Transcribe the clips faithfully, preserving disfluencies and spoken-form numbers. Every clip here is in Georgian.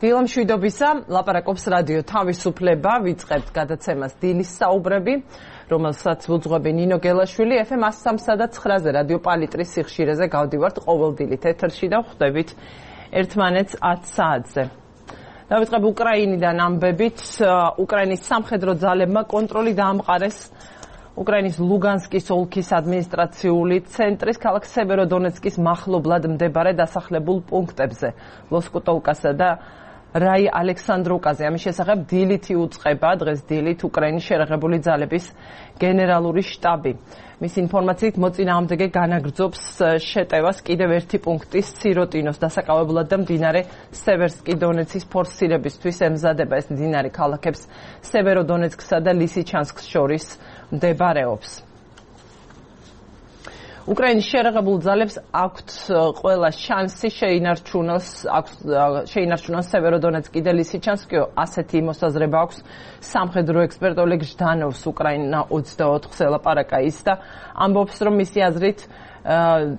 დილა მშვიდობისა, ლაპარაკობს რადიო თავისუფლება, ვიწყებთ გადაცემას დილის საუბრები, რომელსაც ვუძღვები ნინო გელაშვილი, ეფ ემ one oh three და nine-ზე რადიო პალიტრის სიხშირეზე გავდივართ ყოველდილით ეთერში და ვხვდებით ერთმანეთს ათ საათზე. დავიწყებ უკრაინიდან ამბებით, უკრაინის სამხედრო ძალებმა კონტროლი დაამყარეს უკრაინის ლუგანსკის ოლქის ადმინისტრაციული ცენტრის ქალაქ სევეროდონეცკის მახლობლად მდებარე დასახლებულ პუნქტებზე, ლოსკუტოვკასა და რაი ალექსანდროვკაზე. ამის შესახებ დილით იუწყება დღეს დილით უკრაინის შერაღებული ძალების გენერალური შტაბი. მის ინფორმაციით მოწინააღმდეგე განაგრძობს შეტევას კიდევ ერთი პუნქტის სიროტინოს დასაკავებლად და მდინარე სევერსკი დონეცის ფორსირებისთვის ემზადება. ეს მდინარე ქალაქებს სევეროდონეცკსა და ლისიჩანსკს შორის მდებარეობს. უკრაინის შერაღებულ ძალებს აქვთ ყველა შანსი შეინარჩუნოს შეინარჩუნოს სევეროდონეცკი და ლისიჩანსკი. ასეთი მოსაზრება აქვს სამხედრო ექსპერტ ოლეგ ჟდანოვს. უკრაინა ოცდაოთხზე ელაპარაკა ის და ამბობს, რომ მისი აზრით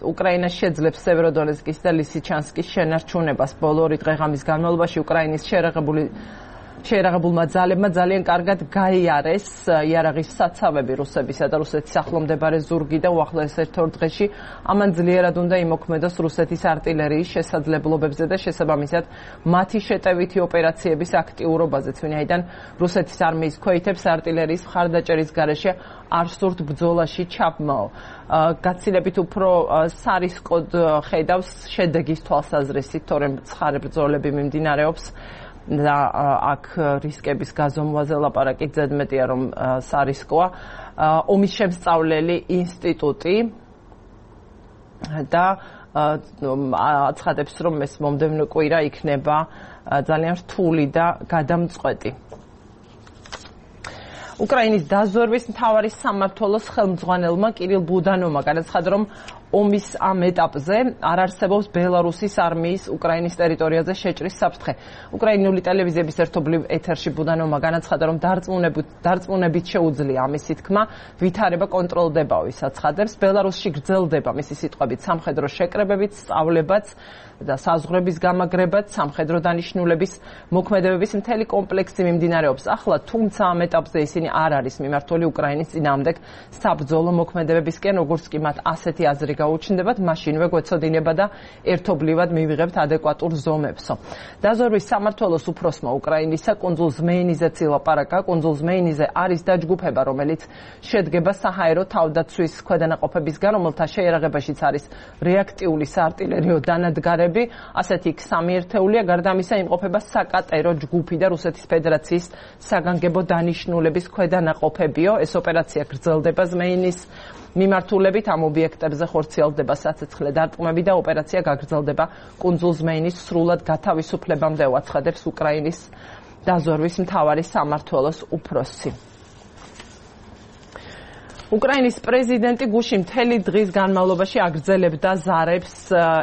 უკრაინა შეძლებს სევეროდონეცკის და ლისიჩანსკის შენარჩუნებას. ბოლო ორი დღე-ღამის განმავლობაში უკრაინის შერაღებული შეერაღებულმა ძალებმა ძალიან კარგად გაიარეს იარაღის საცავები რუსებისა და რუსეთის ახლო მდებარე ზურგი და უახლოეს ერთ-ორ დღეში ამან ძლიერად უნდა იმოქმედოს რუსეთის არტილერიის შესაძლებლობებზე და შესაბამისად მათი შეტევითი ოპერაციების აქტიურობაზეც, ვინაიდან რუსეთის არმიის ქვეითებს არტილერიის მხარდაჭერის გარეშე არ სურთ ბრძოლაში ჩაბმაო. გაცილებით უფრო სარისკოდ ხედავს შედეგის თვალსაზრისით, თორემ ცხარე ბრძოლები მიმდინარეობს და აქ რისკების გაზომვაზე ლაპარაკი ზედმეტია, რომ სარისკოა. ომის შემსწავლელი ინსტიტუტი და აცხადებს, რომ ეს მომდევნო კვირა იქნება ძალიან რთული და გადამწყვეტი. უკრაინის დაზვერვის მთავარი სამმართველოს ხელმძღვანელმა კირილ ბუდანოვმა განაცხადა, რომ ომის ამ ეტაპზე არ არსებობს ბელარუსის არმიის უკრაინის ტერიტორიაზე შეჭრის საფრთხე. უკრაინული ტელევიზიების ერთობლივ ეთერში ბუდანოვმა განაცხადა, რომ დარწმუნებით შეუძლია ამისი თქმა, ვითარება კონტროლდებაო. ის აცხადებს, ბელარუსში გრძელდება მისი სიტყვებით სამხედრო შეკრებებიც, სწავლებაც და საზღვრების გამაგრებაც, სამხედრო დანიშნულების მოქმედებების მთელი კომპლექსი მიმდინარეობს. ახლა თუმცა ამ ეტაპზე ისინი არ არის მიმართული უკრაინის წინააღმდეგ საბრძოლო მოქმედებებისკენ, როგორც კი მათ ასეთი აზრი გაუჩნდებათ, მაშინვე გვეცოდინება და ერთობლივად მივიღებთ ადეკვატურ ზომებსო. დაზვერვის სამმართველოს უფროსმა უკრაინისა კუნძულ ზმეინიზეც ილაპარაკა. კუნძულ ზმეინიზე არის დაჯგუფება, რომელიც შედგება საჰაერო თავდაცვის ქვედანაყოფებისგან, რომელთა შეიარაღებაშიც არის რეაქტიული საარტილერიო დანადგარები. ასეთი იქ სამი ერთეულია. გარდა ამისა იმყოფება საკატერო ჯგუფი და რუსეთის ფედერაციის საგანგებო დანიშნულების ქვედანაყოფებიო. ეს ოპერაცია გრძელდება ზმეინის მიმართულებით, ამ ობიექტებზე ხორციელდება საცეცხლე დარტყმები და ოპერაცია გაგრძელდება კუნძულ ზმეინის სრულად გათავისუფლებამდე, აცხადებს უკრაინის დაზვერვის მთავარი სამმართველოს უფროსი. უკრაინის პრეზიდენტი გუშინ მთელი დღის განმავლობაში აგრძელებდა ზარებს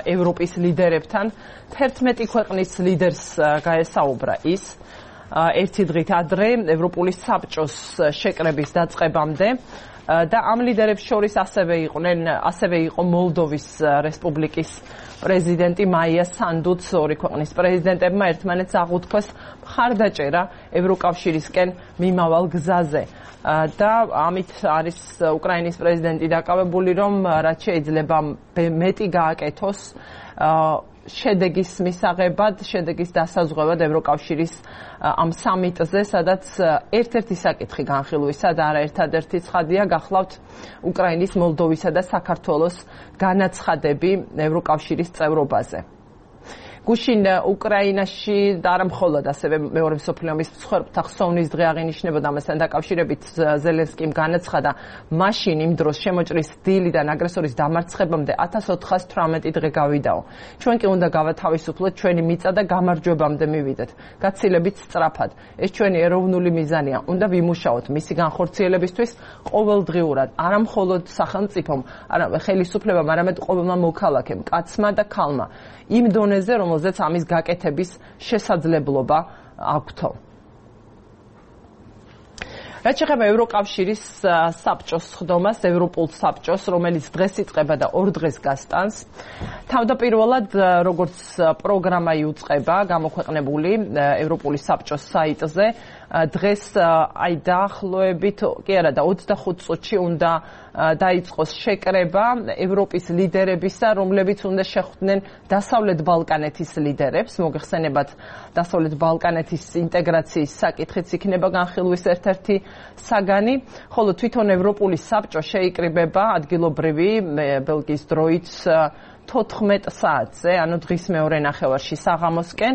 ევროპის ლიდერებთან. თერთმეტი ქვეყნის ლიდერს გაესაუბრა ის ერთი დღით ადრე ევროპული საბჭოს შეკრების დაწყებამდე. და ამ ლიდერებს შორის ასევე იყვნენ ასევე იყო მოლდოვის რესპუბლიკის პრეზიდენტი მაია სანდუც. ორი ქვეყნის პრეზიდენტებმა ერთმანეთს აღუთქვეს მხარდაჭერა ევროკავშირისკენ მიმავალ გზაზე და ამით არის უკრაინის პრეზიდენტი დაკავებული, რომ რაც შეიძლება მეტი გააკეთოს შედეგის მისაღებად, შედეგის დასაზღვევად ევროკავშირის ამ სამიტზე, სადაც ერთ-ერთი საკითხი განხილვისა და არა ერთადერთი ცხადია, გახლავთ უკრაინის, მოლდოვისა და საქართველოს განაცხადები ევროკავშირის წევრობაზე. გუშინ უკრაინაში და არა მხოლოდ, ასევე მეორე მსოფლიო ომის მსხვერპლთა ხსოვნის დღე აღინიშნებოდა. ამასთან დაკავშირებით ზელენსკიმ განაცხადა, მაშინ იმ დროს შემოჭრის დილიდან აგრესორის დამარცხებამდე ათას ოთხას თვრამეტი დღე გავიდაო. ჩვენ კი უნდა გავათავისუფლოთ ჩვენი მიწა და გამარჯვებამდე მივიდეთ. გაცილებით სწრაფად. ეს ჩვენი ეროვნული მიზანია. უნდა ვიმუშაოთ მისი განხორციელებისთვის ყოველდღიურად, არა მხოლოდ სახელმწიფომ, არამედ ხელისუფლებამ, არამედ ყოველმა მოქალაქემ, კაცმა და ქალმა. იმ დონეზე, რომელზეც ამის გაკეთების შესაძლებლობა აქვთო. რაც შეეხება ევროკავშირის საბჭოს ხდომას, ევროპულ საბჭოს, რომელიც დღეს იწყება და ორ დღეს გასტანს. თავდაპირველად, როგორც პროგრამა იუწყება, გამოქვეყნებული ევროპული საბჭოს საიტზე, დღეს აი დაახლოებით, კი არა და ოცდახუთ წუთში უნდა დაიწყოს შეკრება ევროპის ლიდერებისა, რომლებიც უნდა შეხვდნენ დასავლეთ ბალკანეთის ლიდერებს. მოგეხსენებათ, დასავლეთ ბალკანეთის ინტეგრაციის საკითხიც იქნება განხილვის ერთ-ერთი საგანი, ხოლო თვითონ ევროპული საბჭო შეიკრიბება ადგილობრივი ბელგიის დროით თოთხმეტ საათზე, ანუ დღის მეორე ნახევარში საღამოსკენ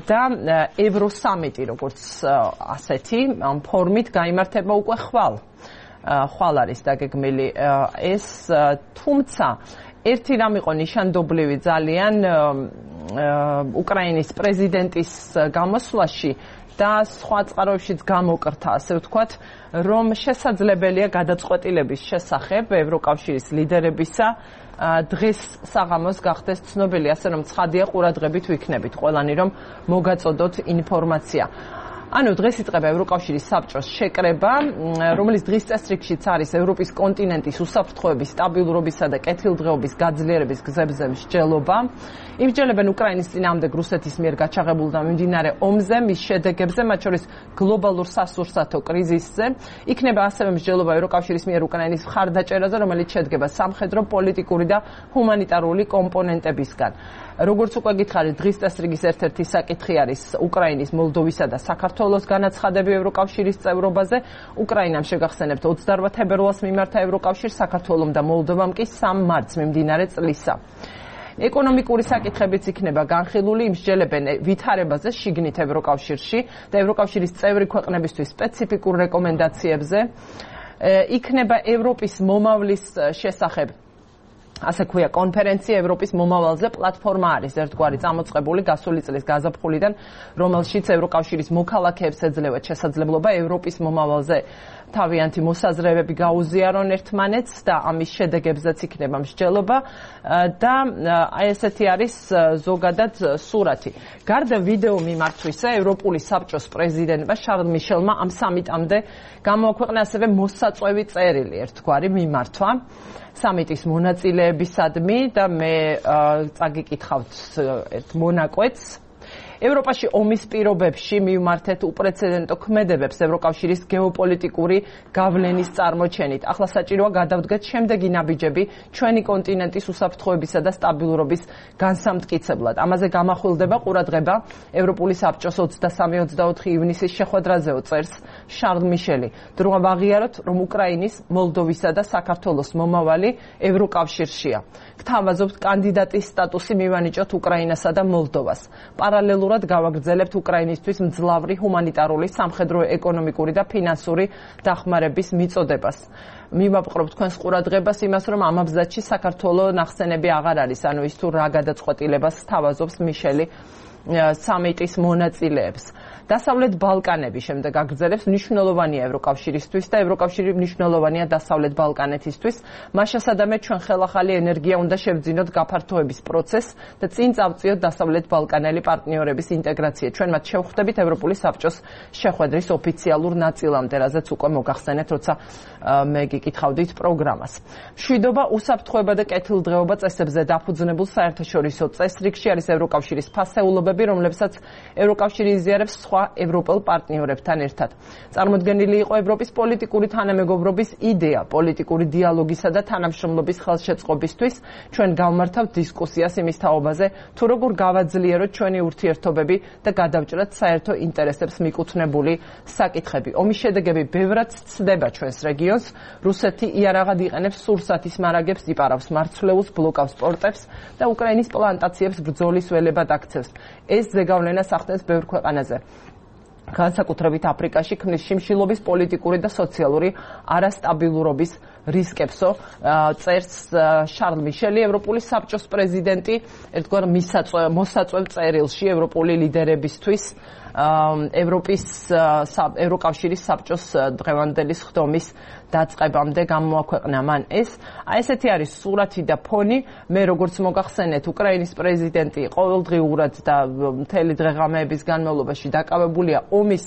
და ევროსამიტი, როგორც ასეთი, ამ ფორმით გაიმართება უკვე ხვალ. ხვალ არის დაგეგმილი ეს, თუმცა ერთი რამ იყო ნიშანდობლივი ძალიან უკრაინის პრეზიდენტის გამოსვლაში და სხვა წყაროებშიც გამოკრთა, ასე ვთქვათ, რომ შესაძლებელია გადაწყვეტილების შესახებ ევროკავშირის ლიდერებისა დღეს საღამოს გახდეს ცნობილი, ასე რომ ცხადია ყურადღებით ვიქნებით ყველანი, რომ მოგაწოდოთ ინფორმაცია. ანუ დღეს იწყება ევროკავშირის საბჭოს შეკრება, რომელიც დღის წესრიგშიც არის ევროპის კონტინენტის უსაფრთხოების, სტაბილურობისა და კეთილდღეობის გაძლიერების გზებზე მსჯელობა. იმსჯელებენ უკრაინის წინააღმდეგ რუსეთის მიერ გაჩაღებულ და მიმდინარე ომზე, მის შედეგებზე, მათ შორის გლობალურ სასურსათო კრიზისზე. იქნება ასევე მსჯელობა ევროკავშირის მიერ უკრაინის მხარდაჭერაზე, რომელიც შედგება სამხედრო, პოლიტიკური და ჰუმანიტარული კომპონენტებისგან. როგორც უკვე გითხარით, დღის წესრიგის ერთ-ერთი საკითხი არის უკრაინის, მოლდოვისა და საქართველოს განაცხადები ევროკავშირის წევრობაზე. უკრაინამ შეგახსენებთ ოცდაორ თებერვალს მიმართა ევროკავშირს, საქართველომ და მოლდოვამ კი სამ მარტს მიმდინარე წლისა. ეკონომიკური საკითხებიც იქნება განხილული, იმსჯელებენ ვითარებაზე შიგნით ევროკავშირში და ევროკავშირის წევრი ქვეყნებისთვის სპეციფიკურ რეკომენდაციებზე. იქნება ევროპის მომავლის შესახებ ასე ქვია კონფერენცია ევროპის მომავალზე, პლატფორმა არის ერთგვარი წამოწყებული გასული წლის გაზაფხულიდან, რომელშიც ევროკავშირის მოქალაქეებს ეძლევათ შესაძლებლობა ევროპის მომავალზე თავიანთი მოსაზრებები გაუზიარონ ერთმანეთს და ამის შედეგებზეც იქნება მსჯელობა და აი ესეთი არის ზოგადად სურათი. გარდა ვიდეო მიმართვისა, ევროპული საბჭოს პრეზიდენტმა შარლ მიშელმა ამ სამიტამდე გამოაქვეყნა ასევე მოსაწვევი წერილი ერთგვარი მიმართვა სამიტის მონაწილეებისადმი და მე წაგიკითხავთ ერთ მონაკვეთს. ევროპაში ომის პირობებში მივმართეთ უპრეცედენტო ქმედებებს ევროკავშირის გეოპოლიტიკური გავლენის წარმოჩენით. ახლა საჭიროა გადავდგეთ შემდეგი ნაბიჯები ჩვენი კონტინენტის უსაფრთხოებისა და სტაბილურობის განსამტკიცებლად. ამაზე გამახვილდება ყურადღება ევროპული საბჭოს ოცდასამი ოცდაოთხი ივნისის შეხვედრაზეო წერს შარლ მიშელი. დროა ვაღიაროთ, რომ უკრაინის, მოლდოვისა და საქართველოს მომავალი ევროკავშირშია. გთავაზობთ კანდიდატის სტატუსი მივანიჭოთ უკრაინასა და მოლდოვას. პარალელურად გავაგრძელებთ უკრაინისთვის მძლავრი ჰუმანიტარული, სამხედრო, ეკონომიკური და ფინანსური დახმარების მიწოდებას. მივაპყრობ თქვენს ყურადღებას იმას, რომ ამ აბზაცში საქართველოს ნახსენები აღარ არის, ანუ ის თუ რა გადაწყვეტილებას თავაზობს მიშელი სამიტის მონაწილეებს. დასავლეთ ბალკანები შემდეგ აგრძელებს მნიშვნელოვანია ევროკავშირისთვის და ევროკავშირი მნიშვნელოვანია დასავლეთ ბალკანეთისთვის. მას შესაბამისად ჩვენ ხელახალი ენერგია უნდა შევძინოთ გაფართოების პროცესს და წინ წავწიოთ დასავლეთ ბალკანელი პარტნიორების ინტეგრაცია. ჩვენ მათ შევხვდებით ევროპული საბჭოს შეხვედრის ოფიციალურ ნაწილამდე, რაზეც უკვე მოგახსენეთ, როცა მე გიკითხავდით პროგრამას. მშვიდობა, უსაფრთხოება და კეთილდღეობა წესებზე დაფუძნებულ საერთაშორისო წესრიგში არის ევროკავშირის ფასეულობები, რომლებსაც ევროკავშირი იზიარებს სხვა ევროპელ პარტნიორებთან ერთად. წარმოდგენილი იყო ევროპის პოლიტიკური თანამეგობრობის იდეა, პოლიტიკური დიალოგისა და თანამშრომლობის ხელშეწყობისთვის. ჩვენ გავმართავთ დისკუსიას იმის თაობაზე, თუ როგორ გავაძლიეროთ ჩვენი ურთიერთობები და გადავჭრათ საერთო ინტერესებს მიკუთვნებული საკითხები. ომის შედეგები ბევრად ცდება ჩვენს რეგიონს. რუსეთი იარაღად იყენებს სურსათის მარაგებს, იპარავს მარცვლეულს, ბლოკავს პორტებს და უკრაინის პლანტაციებს ბრძოლის ველებად აქცევს. ეს ზეგავლენას ახდენს ბევრ ქვეყანაზე. განსაკუთრებით აფრიკაში ქმნის შიმშილობის პოლიტიკური და სოციალური არასტაბილურობის რისკებსო, წერს შარლ მიშელი, ევროპული საბჭოს პრეზიდენტი, ერთგვარ მოსაწვევ წერილში ევროპული ლიდერებისთვის ევროპის ევროკავშირის საბჭოს დღევანდელი ხდომის დაწყებამდე გამოაქვეყნა მან ეს. აი ესეთი არის სურათი და ფონი. მე როგორც მოგახსენეთ, უკრაინის პრეზიდენტი ყოველდღიურად და მთელი დღე-ღამეების განმავლობაში დაკავებულია ომის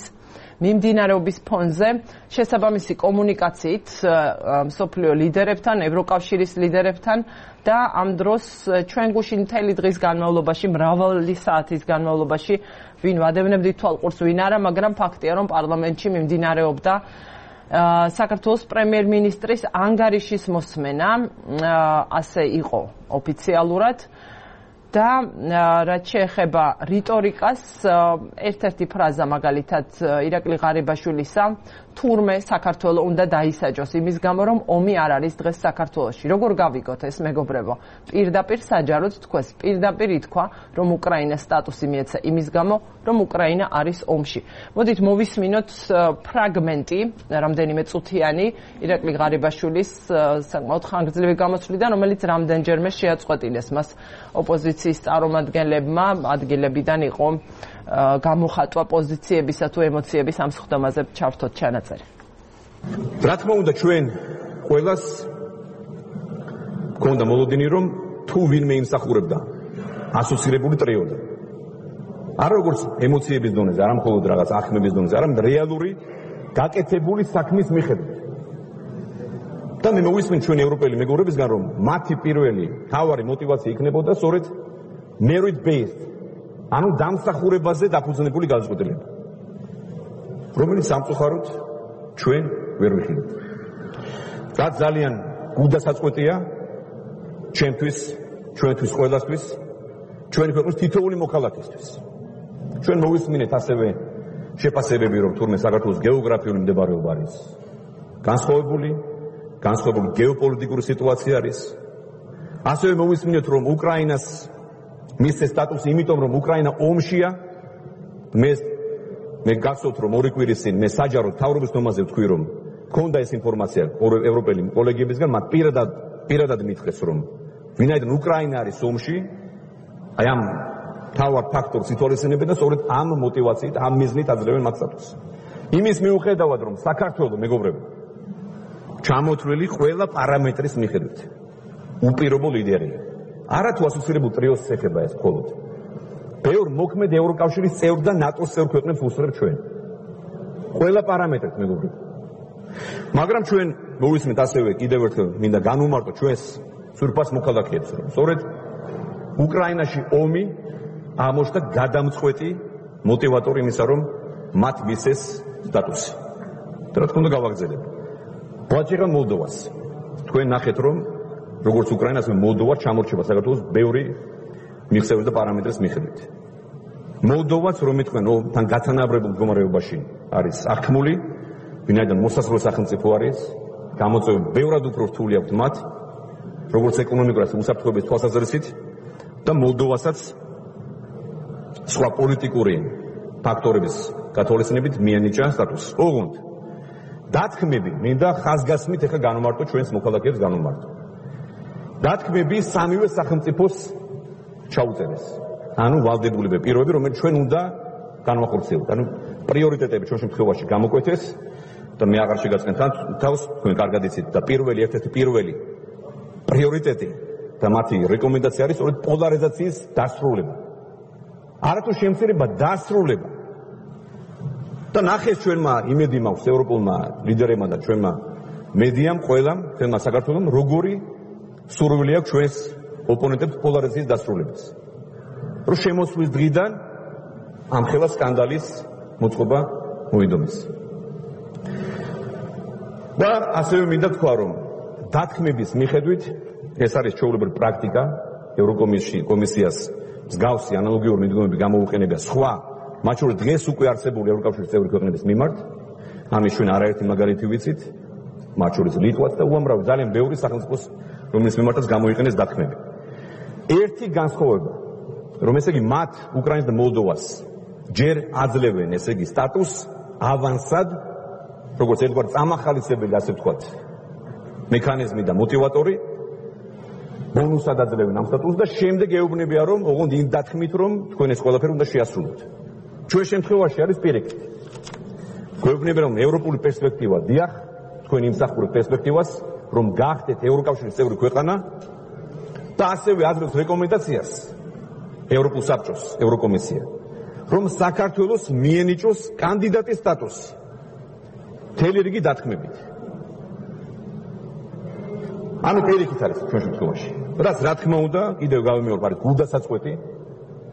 მიმდინარეობის ფონზე შესაბამისი კომუნიკაციით მსოფლიო ლიდერებთან, ევროკავშირის ლიდერებთან და ამ დროს ჩვენ გუშინ მთელი დღის განმავლობაში, მრავალი საათის განმავლობაში ვინ ვადევნებდით თვალყურს, ვინ არა, მაგრამ ფაქტია, რომ პარლამენტში მიმდინარეობდა საქართველოს პრემიერ-მინისტრის ანგარიშის მოსმენა, ასე იყო ოფიციალურად. და რაც შეეხება რიტორიკას, ერთ-ერთი ფრაზა მაგალითად ირაკლი ღარიბაშვილისა, თურმე საქართველოს უნდა დაისაჯოს იმის გამო, რომ ომი არ არის დღეს საქართველოში. როგორ გავიგოთ ეს, მეგობრებო? პირდაპირ საჯაროდ თქვეს, პირდაპირ ითქვა, რომ უკრაინას სტატუსი მიეცა იმის გამო, რომ უკრაინა არის ომში. მოდით მოვისმინოთ ფრაგმენტი, რამდენიმე წუთიანი, ირაკლი ღარიბაშვილის საკმაოდ ხანგრძლივი გამოსვლიდან, რომელიც რამდენჯერმე შეაწყვეტილეს მას ოპოზიციის წარმომადგენლებმა, ადგილებიდან იყო გამოხატვა პოზიციებისა თუ ემოციების ამ სხდომაზე ჩავთოთ ჩანაწერი. რა თქმა უნდა, ჩვენ ყველას გქონდა მოლოდინი, რომ თუ ვინმე იმსახურებდა ასოცირებული ტრიოდან. არა როგორც ემოციების დონეზე, არა მხოლოდ რაღაც ახმების დონეზე, არამედ რეალური გაკეთებული საქმის მიხედვით. და მე მოვისმენ ჩვენ ევროპელი მეგობრებისგან, რომ მათი პირველი თავარი мотиваცია იქნებოდა სწორედ merit based, ანუ დამსახურებაზე დაფუძნებული გადაწყვეტილება, რომელიც სამწუხაროდ ჩვენ ვერ ვიხილავთ. რაც ძალიან გულდასაწყვეტია ჩვენთვის, ჩვენთვის ყველასთვის, ჩვენი ქვეყნის თითოეული მოქალაქისთვის. ჩვენ მოვისმინეთ ასევე შეფასებები, რომ თურმე საქართველოს გეოგრაფიული მდებარეობა არის განსხვავებული, განსხვავებული გეოპოლიტიკური სიტუაცია არის. ასევე მოვისმინეთ, რომ უკრაინას მისცეს სტატუსი იმიტომ, რომ უკრაინა ომშია. მე მე გახსოვთ, რომ ორი კვირის წინ მე საჯაროდ მთავრობის დომაზე ვთქვი, რომ მქონდა ეს ინფორმაცია ევროპელი კოლეგებისგან, მათ პირადად პირადად მითხრეს, რომ ვინაიდან უკრაინა არის ომში, აი ამ თავარ ფაქტორს ითვალისწინებენ და სწორედ ამ мотиваციით, ამ მიზნით აძლევენ მათ სტატუსს. იმის მიუხედავად, რომ საქართველოს მეგობრებო ჩამოთვლილი ყველა პარამეტრის მიხედვით უპირობო ლიდერია. არა თუ ასოცირებულ ტრიოს ეხება ეს მხოლოდ. ბევრ მოქმედ ევროკავშირის წევრ და ნატოს წევრ ქვეყნებს უსწრებ ჩვენ. ყველა პარამეტრით მეგობრებო. მაგრამ ჩვენ მოვისმენთ ასევე კიდევ ერთხელ მინდა განვუმარტო ჩვენს სურპას მოქალაქეებს, რომ სწორედ უკრაინაში ომი ამოშთა გადამწყვეტი мотиваტორი იმისა, რომ მათ მისცეს სტატუსი. და რა თქმა უნდა გავაგრძელებ. ვაჭირა მოლდოვას. თქვენ ნახეთ, რომ როგორც უკრაინას მოლდოვა ჩამორჩება საქართველოს ბევრი მიღწევის და პარამეტრის მიხედვით. მოლდოვაც, რომ იტყვენ, თან გათანაბრებულ მდგომარეობაში არის აღქმული, ვინაიდან მოსასრულე სახელმწიფო არის, გამოწვევები ბევრად უფრო რთული აქვს მათ, როგორც ეკონომიკურად, უსაფრთხოების თვალსაზრისით, და მოლდოვასაც სხვა პოლიტიკური ფაქტორების გათვალისწინებით მიანიჭა სტატუსი. ოღონდ დათქმები, მინდა ხაზგასმით ეხლა განვმარტო ჩვენს მოქალაქეებს განვმარტო. დათქმები სამივე სახელმწიფოს ჩაუწერეს. ანუ ვალდებულება პირობები, რომელიც ჩვენ უნდა განვახორციელოთ. ანუ პრიორიტეტები ჩვენ შემთხვევაში გამოკვეთეს და მე აღარ შეგაწყენ თავს, თქვენ კარგად იცით და პირველი ერთ-ერთი პირველი პრიორიტეტი და მათი რეკომენდაცია არის სწორედ პოლარიზაციის დასრულება. არათუ შემცირება, დასრულება. და ნახეს ჩვენმა იმედი მაქვს ევროპულმა ლიდერებმა და ჩვენმა მედიამ, ყველამ, ჩვენმა საქართველომ, როგორი სურვილი აქვს ჩვენს ოპონენტებს პოლარიზაციის დასრულებას. რომ შემოსვლის დღიდან ამ ხელა სკანდალის მოწყობა მოიდომეს. და ასევე მინდა თქვა, რომ დათქმების მიხედვით ეს არის ჩვეულებრივი პრაქტიკა ევროკომისიას მსგავსი ანალოგიური მიდგომები გამოუყენებია სხვა მათ შორის დღეს უკვე არსებული ევროკავშირის წევრი ქვეყნების მიმართ. ამის ჩვენ არაერთი მაგალითი ვიცით, მათ შორის ლიტვაც და უამრავი ძალიან ბევრი სახელმწიფოს, რომლის მიმართაც გამოიყენეს დათქმები. ერთი განსხვავება, რომ ესე იგი მათ უკრაინას და მოლდოვას ჯერ აძლევენ ესე იგი სტატუსს ავანსად, როგორც ერთგვარ წამახალისებელი, ასე ვთქვათ, მექანიზმი და мотиваტორი, ბონუსად აძლევენ ამ სტატუსს და შემდეგ ეუბნებიან, რომ ოღონდ იმ დათქმით, რომ თქვენ ეს ყველაფერი უნდა შეასრულოთ. ჩვენ შემთხვევაში არის პირიქით. გვეუბნებიან, რომ ევროპული პერსპექტივა, დიახ, თქვენ იმსახურებთ პერსპექტივას, რომ გახდეთ ევროკავშირის წევრი ქვეყანა და ასევე აძლევთ რეკომენდაციას ევროპულ საბჭოს, ევროკომისია, რომ საქართველოს მიენიჭოს კანდიდატის სტატუსი მთელი რიგი დათქმებით. ანუ პირიქით არის ჩვენ შემთხვევაში. რაც რა თქმა უნდა, კიდევ გავიმეორებ, არის გულდასაწყვეტი.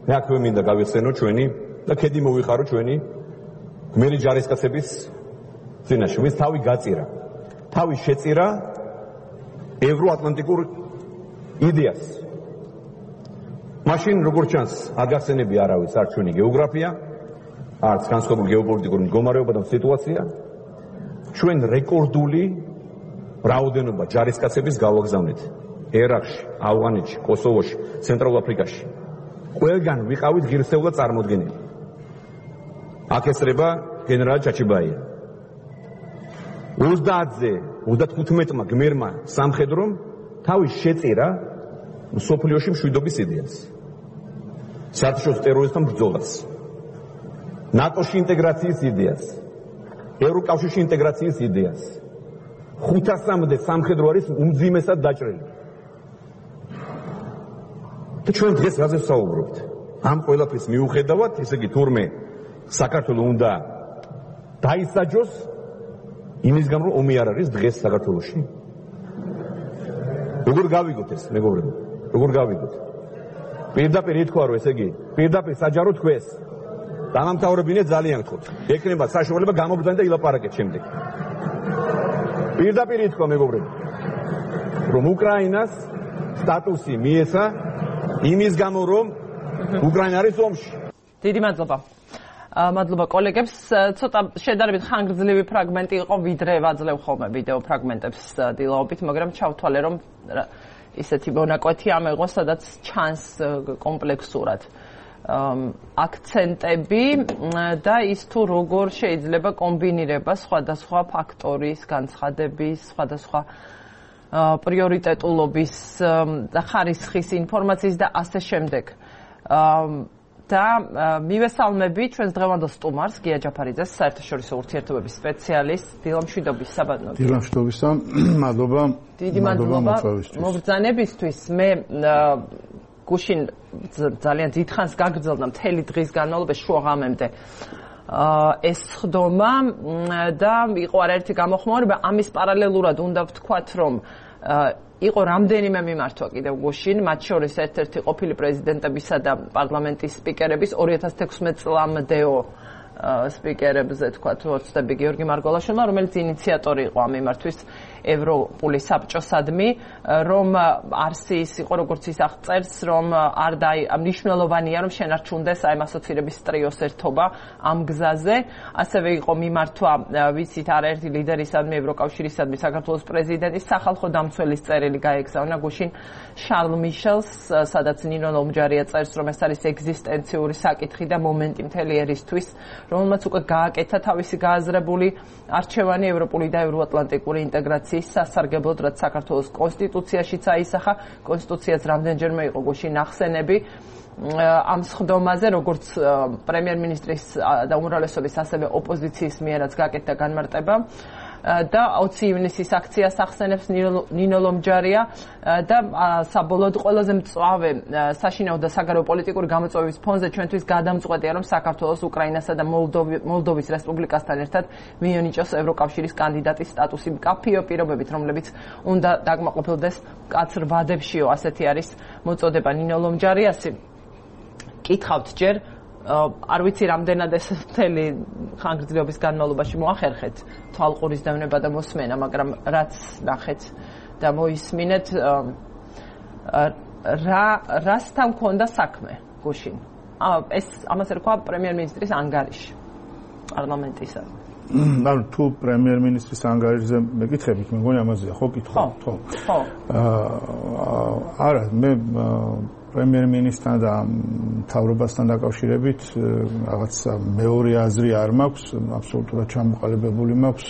მე აქვე მინდა გავიხსენო ჩვენი და ქედი მოვიხარო ჩვენი გმირი ჯარისკაცების წინაშე, ვინც თავი გაწირა. თავი შეწირა ევროატლანტიკურ იდეას. მაშინ როგორც ჩანს, არ გახსენები არავის არც ჩვენი გეოგრაფია, არც განსხვავებული გეოპოლიტიკური მდგომარეობა და სიტუაცია. ჩვენ რეკორდული რაოდენობა ჯარისკაცების გავაგზავნეთ ერაყში, ავღანეთში, კოსოვოში, ცენტრალურ აფრიკაში. ყველგან ვიყავით ღირსეულად წარმოდგენილი. აქ ესწრება გენერალი ჩაჩიბაია. ოცდაათზე ოცდათხუთმეტმა გმირმა სამხედრომ თავი შეწირა სოფლიოში მშვიდობის იდეას. საერთაშორისო ტერორიზმთან ბრძოლას. ნატოში ინტეგრაციის იდეას. ევროკავშირში ინტეგრაციის იდეას. ხუთასამდე სამხედრო არის უმძიმესად დაჭრილი. და ჩვენ დღეს რაზე ვსაუბრობთ? ამ ყველაფრის მიუხედავად, ესე იგი თურმე საქართველოს უნდა დაისაჯოს იმის გამო რომ ომი არ არის დღეს საქართველოში. როგორ გავიგოთ ეს, მეგობრებო? როგორ გავიგოთ? პირდაპირ ითქვა რომ ესე იგი პირდაპირ საჯარო თქვეს დამამთავრებინე ძალიან გთხოვთ. ექნება საშუალება გამობრძანეთ და ილაპარაკეთ შემდეგ. პირდაპირ ითქვა მეგობრებო რომ უკრაინას სტატუსი მიეცა იმის გამო რომ უკრაინა არის ომში. დიდი მადლობა. მადლობა კოლეგებს. ცოტა შედარებით ხანგრძლივი ფრაგმენტი იყო, ვიდრე ვაძლევ ხოლმე ვიდეო ფრაგმენტებს დილაობით, მაგრამ ჩავთვალე რომ ისეთი მონაკვეთი ამეღო, სადაც ჩანს კომპლექსურად აქცენტები და ის თუ როგორ შეიძლება კომბინირება სხვადასხვა ფაქტორის, განცხადების, სხვადასხვა პრიორიტეტულობის და ხარისხის ინფორმაციის და ასე შემდეგ. და მივესალმები ჩვენს დღევანდელ სტუმარს, გია ჯაფარიძეს, საერთაშორისო ურთიერთობების სპეციალისტს, დილამშვიდობის საბატონო. დილამშვიდობისა, მადლობა. დიდი მადლობა მობრძანებისთვის. მე გუშინ ძალიან დიდხანს გაგრძელდა მთელი დღის განმავლობაში შუა ღამემდე ეს ხდომა და იყო არაერთი გამოხმაურება. ამის პარალელურად უნდა ვთქვათ, რომ იყო რამდენიმე მიმართვა კიდევ გუშინ, მათ შორის ერთ-ერთი ყოფილი პრეზიდენტებისა და პარლამენტის სპიკერების ორი ათას თექვსმეტ წლამდეო სპიკერებზე თქვათ ოცდები გიორგი მარგველაშვილმა, რომელიც ინიციატორი იყო ამ მიმართვის ევროპული საბჭოსადმი, რომ არსის იყო როგორც ის აღწერს, რომ არ დაი მნიშვნელოვანია რომ შენარჩუნდეს აი ასოცირების ტრიოს ერთობა ამ გზაზე. ასევე იყო მიმართვა ვიცით არაერთი ლიდერისადმი, ევროკავშირისადმი, საქართველოს პრეზიდენტის სახალხო დამცველის წერილი გაეგზავნა გუშინ შარლ მიშელს, სადაც ნინო ლომჯარია წერს, რომ ეს არის ეგზისტენციური საკითხი და მომენტი მთელი ერისთვის, რომელმაც უკვე გააკეთა თავისი გააზრებული არჩევანი ევროპული და ევროატლანტიკური ინტეგრაციის სასარგებლოდ, რაც საქართველოს კონსტიტუციაშიც აისახა. კონსტიტუციაც რამდენჯერმე იყო გუშინ ახსენები ამ სხდომაზე, როგორც პრემიერ-მინისტრის და უმრავლესობის, ასევე ოპოზიციის მიერაც გაკეთდა განმარტება. და ოცი ივნისის აქციას ახსენებს ნინო ლომჯარია და საბოლოოდ ყველაზე მწვავე საშინაო და საგარეო პოლიტიკური გამოწვევების ფონზე ჩვენთვის გადამწყვეტია, რომ საქართველოს უკრაინასა და მოლდოვის რესპუბლიკასთან ერთად მიენიჭოს ევროკავშირის კანდიდატის სტატუსი მკაფიო პირობებით, რომლებიც უნდა დაკმაყოფილდეს მკაცრ ვადებშიო, ასეთი არის მოწოდება ნინო ლომჯარიასი. კითხავთ ჯერ არ ვიცი რამდენად ეს მთელი ხანგრძლივობის განმავლობაში მოახერხეთ თვალყურის დევნება და მოსმენა, მაგრამ რაც ნახეთ და მოისმინეთ, რა რასთან მქონდა საქმე გუშინ. ეს ამას ერქვა პრემიერ-მინისტრის ანგარიში პარლამენტისა. ანუ თუ პრემიერ-მინისტრის ანგარიშზე მეკითხებით, მე მგონი ამაზეა ხო კითხვა? ხო. ხო. არა, მე პრემიერ-მინისტრთან და მთავრობასთან დაკავშირებით რაღაც მეორე აზრი არ მაქვს, აბსოლუტურად ჩამოყალიბებული მაქვს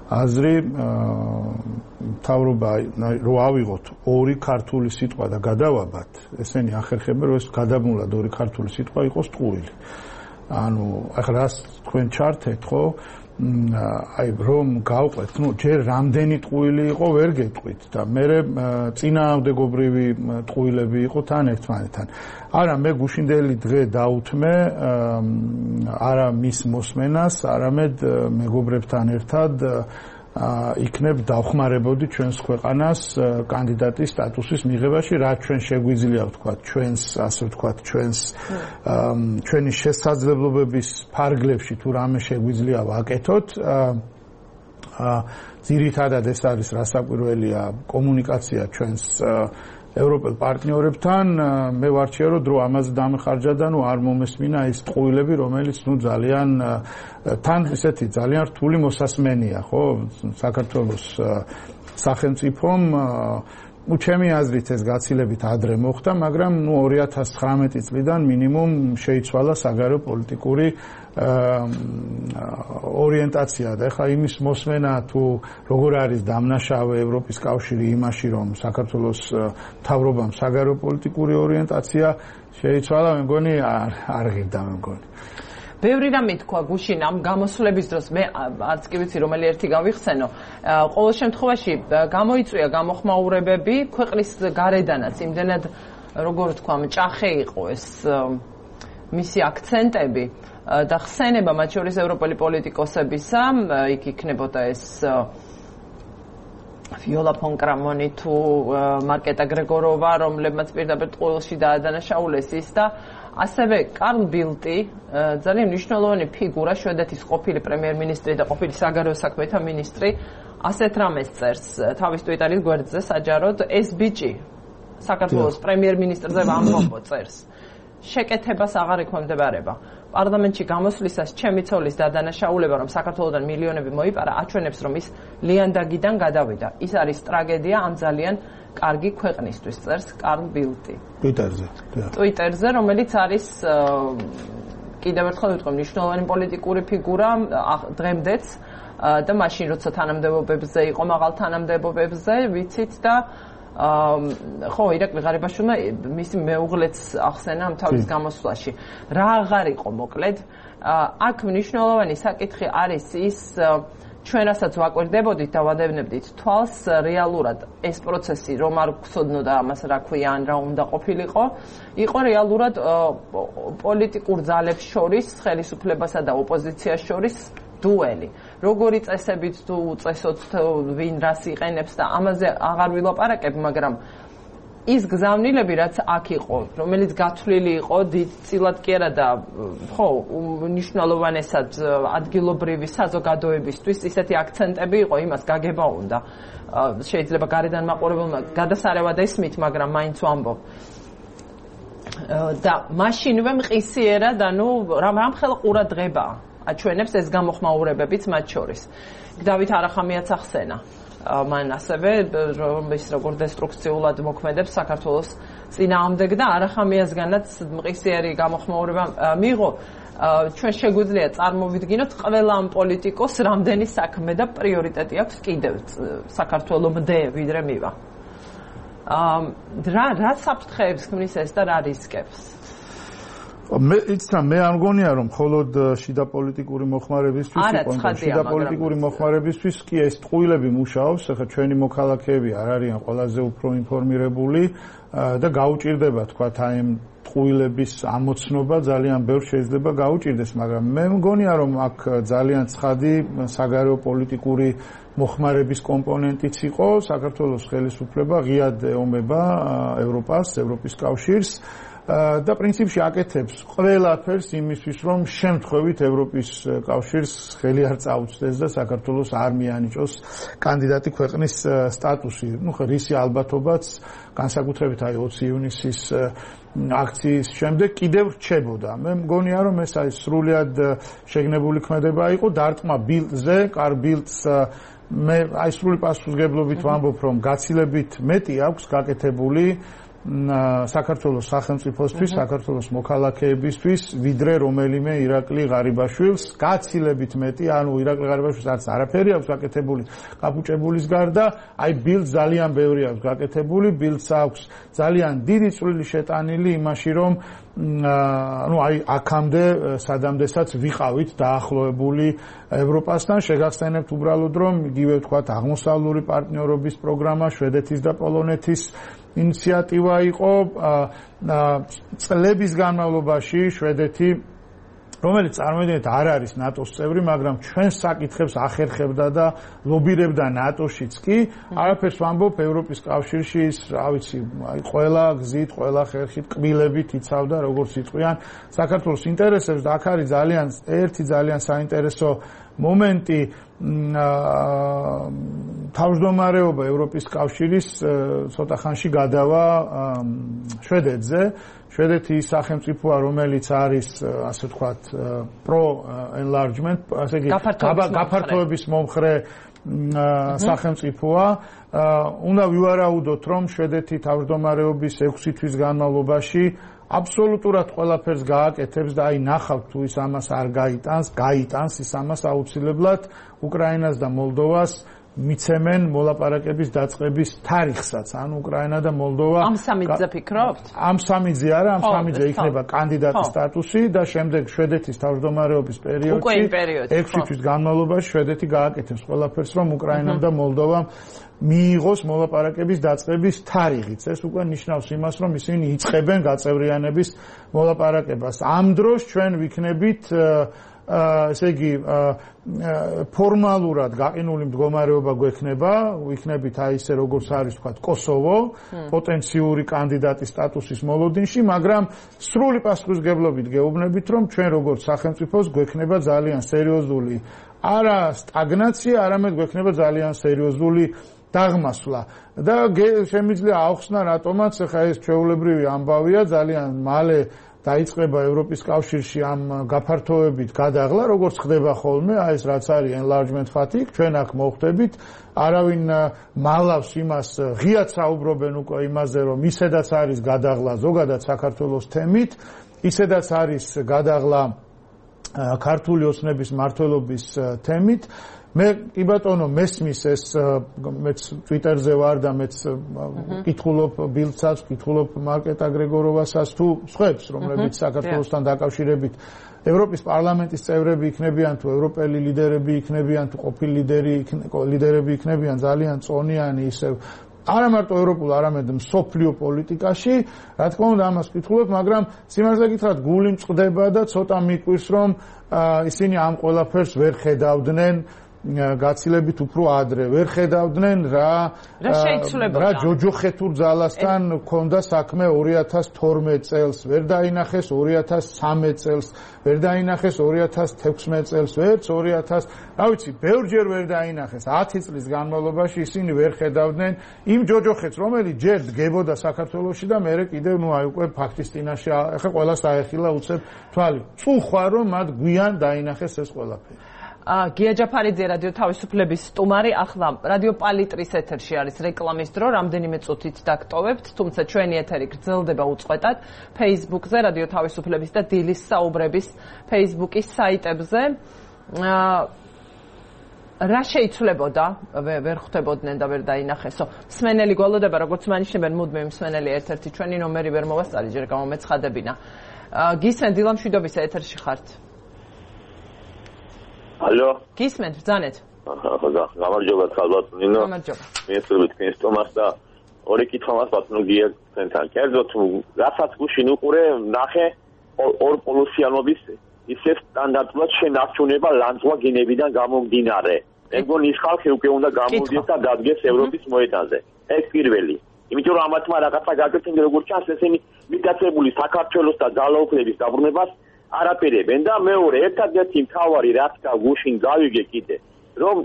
აზრი. მთავრობა რო ავიღოთ ორი ქართული სიტყვა და გადავაბათ, ესენი ახერხებენ, რომ ეს გადაბმულად ორი ქართული სიტყვა იყოს ტყუილი. ანუ ახლა რას თქვენ ჩართეთ, ხო? აი რომ გავყვეთ, ну, ჯერ რამდენი ტყუილი იყო, ვერ გეტყვით და მე წინააღმდეგობრივი ტყუილები იყო თან ერთმანეთთან. არა, მე გუშინდელი დღე დაუთმე არა მის მოსმენას, არამედ მეგობრებთან ერთად იქნებ დავხმარებოდი ჩვენს ქვეყანას კანდიდატის სტატუსის მიღებაში, რაც ჩვენ შეგვიძლია ვთქვათ, ჩვენს, ასე ვთქვათ, ჩვენს ჩვენი შესაძლებლობების ფარგლებში თუ რამე შეგვიძლია ვაკეთოთ. ძირითადად ეს არის რასაკვირველია კომუნიკაცია ჩვენს ევროპელ პარტნიორებთან. მე ვარჩიე რომ დრო ამაზე დამეხარჯა და ნუ არ მომესმინა ის ტყუილები, რომელიც ნუ ძალიან თან ისეთი ძალიან რთული მოსასმენია, ხო, საქართველოს სახელმწიფომ. ну, ჩემი აზრით ეს გაცილებით ადრე მოხდა, მაგრამ ნუ ორი ათას ცხრამეტი წლიდან მინიმუმ შეიცვალა საგარეო პოლიტიკური ორიენტაცია და ეხლა იმის მოსმენა თუ როგორ არის დამნაშავე ევროპის კავშირი იმაში, რომ საქართველოს მთავრობამ საგარეო პოლიტიკური ორიენტაცია შეიცვალა, მე მგონი არ არ ღირდა, მე მგონი. ბევრი რამე თქვა გუშინ ამ გამოსვლების დროს, მე არც კი ვიცი რომელი ერთი გავიხსენო. ყოველ შემთხვევაში გამოიწვია გამოხმაურებები ქვეყნის გარედანაც, იმდენად როგორ თქვა, მჭახე იყო ეს მისი აქცენტები და ხსენება მათ შორის ევროპელი პოლიტიკოსებისა, იქ იქნებოდა ეს ვიოლა ფონ კრამონი თუ მარკეტა გრეგოროვა, რომლებმაც პირდაპირ ტყუილში დაადანაშაულეს ის და ასევე კარლ ბილტი, ძალიან მნიშვნელოვანი ფიგურა, შვედეთის ყოფილი პრემიერ-მინისტრი და ყოფილი საგარეო საქმეთა მინისტრი, ასეთ რამეს წერს თავის ტვიტარის გვერდზე საჯაროდ, ეს ბიჭი საქართველოს პრემიერ-მინისტრზე ამბობ წერს. შეკეთებას აღარ ექვემდებარება. პარლამენტში გამოსვლისას ჩემი ცოლის დადანაშაულება, რომ საქართველოდან მილიონები მოიპარა, აჩვენებს, რომ ის ლიანდაგიდან გადავიდა. ის არის ტრაგედია ამ ძალიან კარგი ქვეყნისთვის, წერს კარლ ბილტი. ტვიტერზე. ტვიტერზე, რომელიც არის კიდევ ერთხელ ვიტყვი, მნიშვნელოვანი პოლიტიკური ფიგურა დღემდეც და მაშინ როცა თანამდებობებზე იყო, მაღალ თანამდებობებზე, ვიცით და ხო, ირაკლი ღარიბაშვილმა მისი მეუღლეც ახსენა ამ თავის გამოსვლაში. რა აღარ იყო მოკლედ? აქ მნიშვნელოვანი საკითხი არის ის, ჩვენ რასაც ვაკვირდებოდით და ვადევნებდით თვალს, რეალურად ეს პროცესი რომ არ გვცოდნოდა ამას რა ქვია, ან რა უნდა ყოფილიყო, იყო რეალურად პოლიტიკურ ძალებს შორის, ხელისუფლებასა და ოპოზიციას შორის დუელი. როგორი წესებით თუ უწესოთ ვინ რას იყენებს და ამაზე აღარ ვილაპარაკებ, მაგრამ ის გზავნილები, რაც აქ იყო, რომელიც გათვლილი იყო დიდწილად კი არა და ხო, მნიშვნელოვანესად ადგილობრივი საზოგადოებისთვის ისეთი აქცენტები იყო, იმას გაგება უნდა. შეიძლება გარედან მაყურებელმა გადასარევად ესმით, მაგრამ მაინც ვამბობ. და მაშინვე მყისიერა და ნუ რამხელა ყურადღება აჩვენებს ეს გამოხმაურებებიც მათ შორის. დავით არახამიაც ახსენა. მან ასევე ის როგორ დესტრუქციულად მოქმედებს საქართველოს წინააღმდეგ და არახამიასგანაც მყისიერი გამოხმაურება მიიღო. ჩვენ შეგვიძლია წარმოვიდგინოთ ყველა ამ პოლიტიკოს რამდენი საქმე და პრიორიტეტი აქვს კიდევ საქართველომდე ვიდრე მივა. რა რა საფრთხეებს ქმნის ეს და რა რისკებს? მე იცი მე არ მგონია რომ მხოლოდ შიდა პოლიტიკური მოხმარებისთვის იყო შიდა პოლიტიკური მოხმარებისთვის კი ეს ტყუილები მუშაობს, ახლა ჩვენი მოქალაქეები არ არიან ყველაზე უფრო ინფორმირებული და გაუჭირდება თქვათ აი ამ ტყუილების ამოცნობა ძალიან ბევრ შეიძლება გაუჭირდეს, მაგრამ მე მგონია რომ აქ ძალიან ცხადი საგარეო პოლიტიკური მოხმარების კომპონენტიც იყო. საქართველოს ხელისუფლება ღიად ეომება ევროპას, ევროპის კავშირს და პრინციპში აკეთებს ყველაფერს იმისთვის, რომ შემთხვევით ევროპის კავშირს ხელი არ წაუწდეს და საქართველოს არ მიანიჭოს კანდიდატი ქვეყნის სტატუსი. ნუ ხო რისი ალბათობაც განსაკუთრებით აი ოცი ივნისის აქციის შემდეგ კიდევ რჩებოდა. მე მგონია რომ ეს აი სრულიად შეგნებული ქმედება იყო დარტყმა ბილდზე, კარლ ბილდს მე აი სრული პასუხისმგებლობით ვამბობ, რომ გაცილებით მეტი აქვს გაკეთებული საქართველოს სახელმწიფოსთვის, საქართველოს მოქალაქეებისთვის, ვიდრე რომელიმე ირაკლი ღარიბაშვილს, გაცილებით მეტი, ანუ ირაკლი ღარიბაშვილს არც არაფერი აქვს გაკეთებული კაპუჭებულის გარდა, აი ბილდს ძალიან ბევრი აქვს გაკეთებული, ბილდს აქვს ძალიან დიდი წვლილი შეტანილი იმაში, რომ ну აი აქამდე სადამდესაც ვიყავით დაახლოებული ევროპასთან, შეგახსენებთ უბრალოდ რომ იგივე ვთქვათ აღმოსავლური პარტნიორობის პროგრამა შვედეთის და პოლონეთის ინიციატივა იყო წლების განმავლობაში შვედეთი რომელიც წარმოიდგინეთ არ არის ნატოს წევრი, მაგრამ ჩვენ საკითხებს ახერხებდა და ლობირებდა ნატოშიც კი, არაფერს ვამბობ ევროპის კავშირში ის, რა ვიცი, აი ყველა გზით, ყველა ხერხით, კბილებით იცავდა როგორც იწყვიან საქართველოს ინტერესებს და აქ არის ძალიან ერთი ძალიან საინტერესო მომენტი თავმჯდომარეობა ევროპის კავშირის ცოტა ხანში გადავა შვედეთზე. შვედეთი ის სახელმწიფოა, რომელიც არის, ასე ვთქვათ, პრო enlargement, ასე იგი გაფართოების მომხრე სახელმწიფოა. უნდა ვივარაუდოთ, რომ შვედეთი თავმჯდომარეობის ექვსი თვის განმავლობაში აბსოლუტურად ყველაფერს გააკეთებს და აი ნახავთ თუ ის ამას არ გაიტანს, გაიტანს ის ამას აუცილებლად უკრაინას და მოლდოვას მიცემენ მოლაპარაკების დაწყების თარიღსაც, ანუ უკრაინა და მოლდოვა ამ სამიძე ფიქრობთ? ამ სამიძე არა, ამ სამიძე იქნება კანდიდატის სტატუსი და შემდეგ შვედეთის თავმჯდომარეობის პერიოდში ექვსი თვის განმავლობაში შვედეთი გააკეთებს ყველაფერს, რომ უკრაინამ და მოლდოვამ მიიღოს მოლაპარაკების დაწყების თარიღიც. ეს უკვე ნიშნავს იმას, რომ ისინი იწყებენ გაწევრიანების მოლაპარაკებას. ამ დროს ჩვენ ვიქნებით ესე იგი ფორმალურად გაყინული მდგომარეობა გვექნება, ვიქნებით აი ესე როგორც არის თქვა კოსოვო, პოტენციური კანდიდატის სტატუსის მოლოდინში, მაგრამ სრული პასუხისმგებლობით გეუბნებით, რომ ჩვენ როგორც სახელმწიფოს გვექნება ძალიან სერიოზული არა სტაგნაცია, არამედ გვექნება ძალიან სერიოზული დაღმასვლა და შემიძლია აუხსნა რატომაც ახლა ეს ჩვეულებრივი ამბავია ძალიან მალე დაიწყება ევროპის კავშირში ამ გაფართოებით გადაღლა, როგორც ხდება ხოლმე, აი ეს რაც არის enlargement fatigue, ჩვენ აქ მოხვდებით, არავინ მალავს იმას, ღიად საუბრობენ უკვე იმაზე, რომ ისედაც არის გადაღლა ზოგადად საქართველოს თემით, ისედაც არის გადაღლა ქართული ოცნების მმართველობის თემით. მე კი ბატონო მესმის ეს მეც ტვიტერზე ვარ და მეც კითხულობ ბილდსაც, კითხულობ მარკეტ აგრეგოროვასაც თუ სხვებს, რომლებიც საქართველოსთან დაკავშირებით ევროპის პარლამენტის წევრები იქნებიან თუ ევროპელი ლიდერები იქნებიან თუ ყოფილი ლიდერი ლიდერები იქნებიან ძალიან წონიანი ისევ არა მარტო ევროპულ, არამედ მსოფლიო პოლიტიკაში, რა თქმა უნდა ამას ვკითხულობ, მაგრამ სიმართლე გითხრათ გული მწყდება და ცოტა მიკვირს, რომ ისინი ამ ყველაფერს ვერ ხედავდნენ გაცილებით უფრო ადრე ვერ ხედავდნენ რა რა ჯოჯოხეთურ ძალასთან ქონდა საქმე ორი ათას თორმეტ წელს, ვერ დაინახეს ორი ათას ცხრამეტ წელს, ვერ დაინახეს ორი ათას თექვსმეტ წელს, ვერც ორი ათას, რა ვიცი, ბევრჯერ ვერ დაინახეს ათი წლის განმავლობაში ისინი ვერ ხედავდნენ იმ ჯოჯოხეთს, რომელიც ჯერ დგებოდა საქართველოში და მერე კიდევ ნუ აი უკვე ფაქტის წინაშე ახლა ყველას აეხილა უცებ თვალი. წუხვა რომ მათ გვიან დაინახეს ეს ყველაფერი. გია ჯაფარიძე რადიო თავისუფლების სტუმარი, ახლა რადიო პალიტრის ეთერში არის რეკლამის დრო, რამდენიმე წუთით დაგტოვებთ, თუმცა ჩვენი ეთერი გრძელდება უწყვეტად Facebook-ზე, რადიო თავისუფლების და დილის საუბრების Facebook-ის საიტებზე. რა შეიცვლებოდა, ვერ ხვდებოდნენ და ვერ დაინახესო. მსმენელი გვალოდება, როგორც მანიშნებენ, მუდმივი მსმენელი ერთ-ერთი ჩვენი ნომერი ვერ მოვასწარი, ჯერ გამომეცხადებინა. გისმენ დილამშვიდობისა ეთერში ხართ. ალო. გისმენთ, ბრძანეთ. გამარჯობა, ხალბათ ნინო. გამარჯობა. მიესწრებით თქვენს თომას და ორი კითხვა მას ბატონო გია თქვენთან. კერძოდ, რასაც გუშინ უყურე, ნახე ორ პოლუსიანობის ისე სტანდარტულად შენარჩუნება ლანძღვა გენებიდან გამომდინარე. მე მგონი ის ხალხი უკვე უნდა გამოვიდეს და დადგეს ევროპის მოედანზე. ეს პირველი. იმიტომ რომ ამათმა რაღაცა გაკეთებენ, როგორც ჩანს, ესენი მიტაცებული საქართველოს და ძალაუფლების დაბრუნებას არაპირებენ და მეორე ერთადერთი მთავარი რაც გუშინ გავიგე კიდე რომ